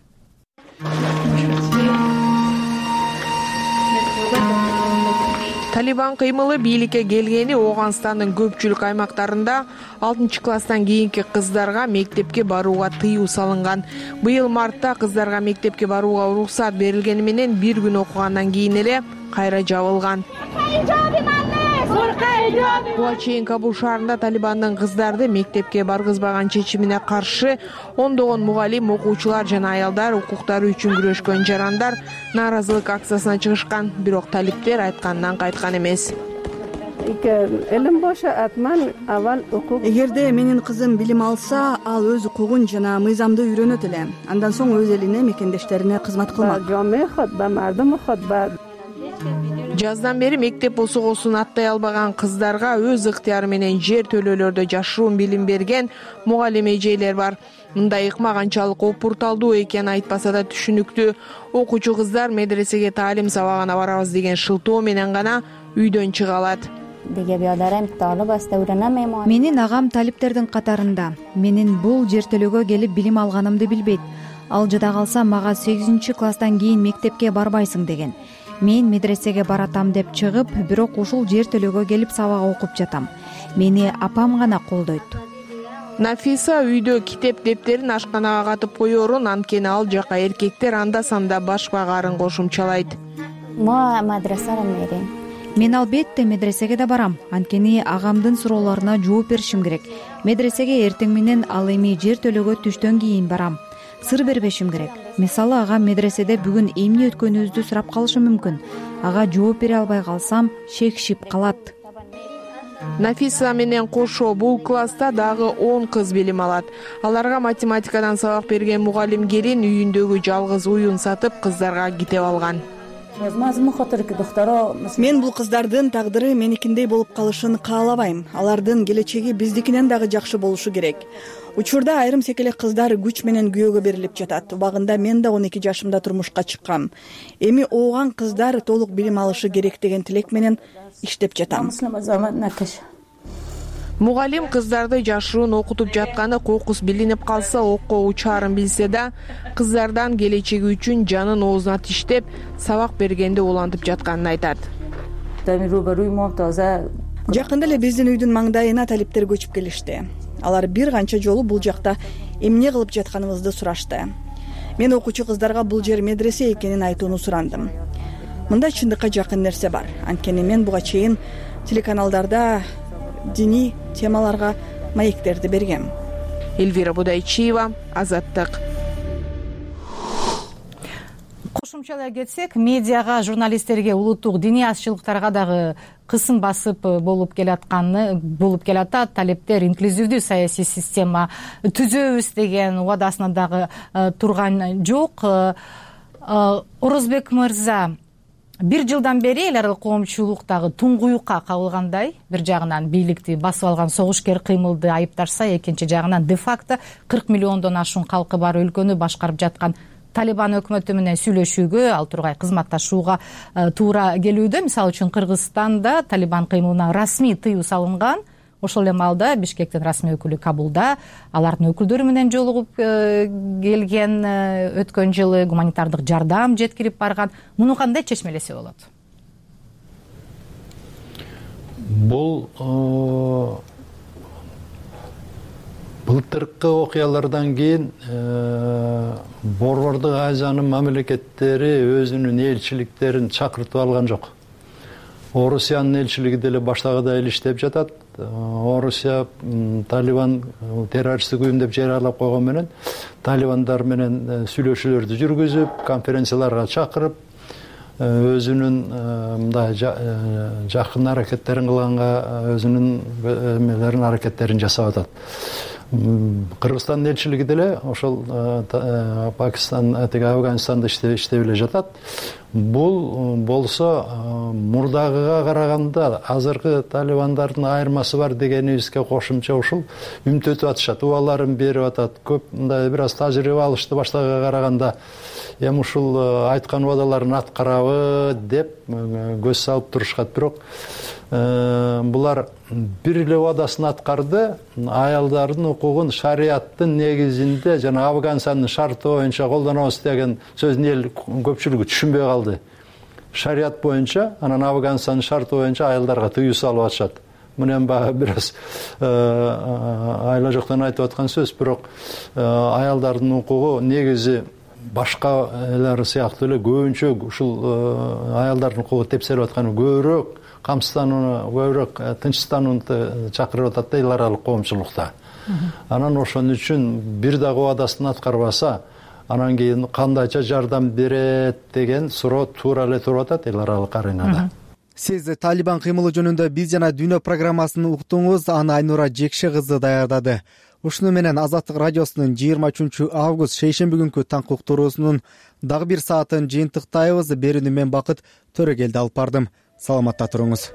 Талибан кыймылы бийликке келгени Ооганстандын көпчүлүк аймактарында алтынчы класстан кийинки кыздарга мектепке барууга тыюу салынган. Быйыл мартта кыздарга мектепке барууга уруксат берилгени менен бир күн окугандан кийин эле кайра жабылган. Буга чейин Кабул шаарында Талибандын кыздарды мектепке баргызбаган чечимине каршы ондогон мугалим, окуучулар жана аялдар укуктары үчүн күрөшкөн жарандар нааразылык акциясына чыгышкан. Бирок талиптер айткандан кайткан эмес. Эгерде менин кызым билим алса, ал өз укугун жана мыйзамды үйрөнөт эле. Андан соң өз элине, мекендештерине кызмат кылмак. Жаздан бери мектеп босогосун аттай албаган кыздарга өз ыктыяры менен жер төлөөлөрдө жашыруун билим берген мугалим эжелер бар. Мындай ыкма канчалык опурталдуу экени айтпаса да түшүнүктүү. Окуучу кыздар медресеге таалим сабагына барабыз деген шылтоо менен гана үйдөн чыга алат. Менин агам талиптердин катарында. Менин бул жер төлөөгө келип билим алганымды билбейт. Ал жада калса мага сегизинчи класстан кийин мектепке барбайсың деген. Мен медресеге баратам деп чыгып, бирок ушул жер төлөөгө келип сабак окуп жатам. Мени апам гана колдойт. Нафиса үйдө китеп дептерин ашканага катып коерун, анткени ал жака эркектер анда санда баш багарын кошумчалайт. Мен албетте медресеге да барам, анткени агамдын суроолоруна жооп беришим керек. Медресеге эртең менен ал эми жер төлөөгө түштөн кийин барам. Сыр бербешим керек. Мисалы, ага медреседе бүгүн эмне өткөнүбүздү сурап калышы мүмкүн. Ага жооп бере албай калсам, шекшип калат. Нафиса менен кошо бул класста дагы он кыз билим алат. Аларга математикадан сабак берген мугалим келин үйүндөгү жалгыз уюн сатып кыздарга китеп алган. Мен бул кыздардын тагдыры меникиндей болуп калышын каалабайм. Алардын келечеги биздикинен дагы жакшы болушу керек. Учурда айрым секелек кыздар күч менен күйөөгө берилип жатат. Убагында мен да он эки жашымда турмушка чыккам. Эми ооган кыздар толук билим алышы керек деген тилек менен иштеп жатам. Мугалим кыздарды жашыруун окутуп жатканы кокус билинип калса окко учаарын билсе да, кыздардан келечеги үчүн жанын оозуна тиштеп, сабак бергенди улантып жатканын айтат. Жакында эле биздин үйдүн маңдайына талиптер көчүп келишти. Алар бир канча жолу бул жакта эмне кылып жатканыбызды сурашты. Мен окуучу кыздарга бул жер медресе экенин айтууну сурандым. Мында чындыкка жакын нерсе бар. Анткени мен буга чейин телеканалдарда диний темаларга маектерди бергем. Эльвира Будайчиева, Азаттык. Кошумчалай кетсек, медиага, журналисттерге, улуттук диний азчылыктарга дагы кысым басып болуп келатканы болуп келатат. Талиптер инклюзивдүү саясий система түзөбүз деген убадасына дагы турган жок. Орозбек мырза, бир жылдан бери эл аралык коомчулуктагы туңгуюкка кабылгандай, бир жагынан бийликти басып алган согушкер кыймылды айыпташса, экинчи жагынан де-факто кырк миллиондон ашуун калкы бар өлкөнү башкарып жаткан Талибан өкмөтү менен сүйлөшүүгө, ал тургай кызматташууга туура келүүдө. Мисалы үчүн Кыргызстанда Талибан кыймылына расмий тыюу салынган. Ошол эле маалда Бишкектин расмий өкүлү Кабулда алардын өкүлдөрү менен жолугуп келген, өткөн жылы гуманитардык жардам жеткирип барган. Муну кандай чечмелесе болот? Бул былтыркы окуялардан кийин Борбордук Азиянын мамлекеттери өзүнүн элчиликтерин чакыртып алган жок. Орусиянын элчилиги деле баштагыдай эле иштеп жатат. Орусия Талибан террористтик уюм деп жарыялап койгон менен талибандар менен сүйлөшүүлөрдү жүргүзүп, конференцияларга чакырып, өзүнүн мындай жакын аракеттерин кылганга өзүнүн эмелерин аракеттерин жасап атат. Кыргызстандын элчилиги деле ошол Пакистан, Афганистанда иштеп эле жатат. Бул болсо мурдагыга караганда азыркы талибандардын айырмасы бар дегенибизге кошумча ушул үмүт атышат, убаларын берип атат. Көп мындай бир аз тажрыйба алышты баштагыга караганда. Эми ушул айткан убадаларын аткарабы деп көз салып турушат. Бирок булар бир эле убадасын аткарды, аялдардын укугун шарияттын негизинде жана Афганистандын шарты боюнча колдонобуз деген сөздүн эл көпчүлүгү түшүнбөй калды. шарият боюнча, анан Афганстандын шарты боюнча аялдарга тыюу салып атышат. Мына эми баягы бир аз айла жоктон айтып аткан сөз, бирок аялдардын укугу негизи башкалар сыяктуу эле көбүнчө ушул аялдардын укугу тепселип атканы көбүрөөк камсызданууну, көбүрөөк тынчсызданууну чакырып атат да эл аралык коомчулукта. Анан ошон үчүн бир дагы убадасын аткарбаса, анан кийин кандайча жардам берет деген суроо туура эле туруп атат эл аралык аренада. Сиз Талибан кыймылы жөнүндө биз жана Дүйнө программасын уктуңуз, аны Айнура Жекше кызы даярдады. Ушуну менен Азаттык радиосунун жыйырма үчүнчү август шейшемби күнкү таңкы уктуруусунун дагы бир саатын жыйынтыктайбыз. Берүүнү мен Бакыт Төрөгелди алып бардым. Саламатта туруңуз.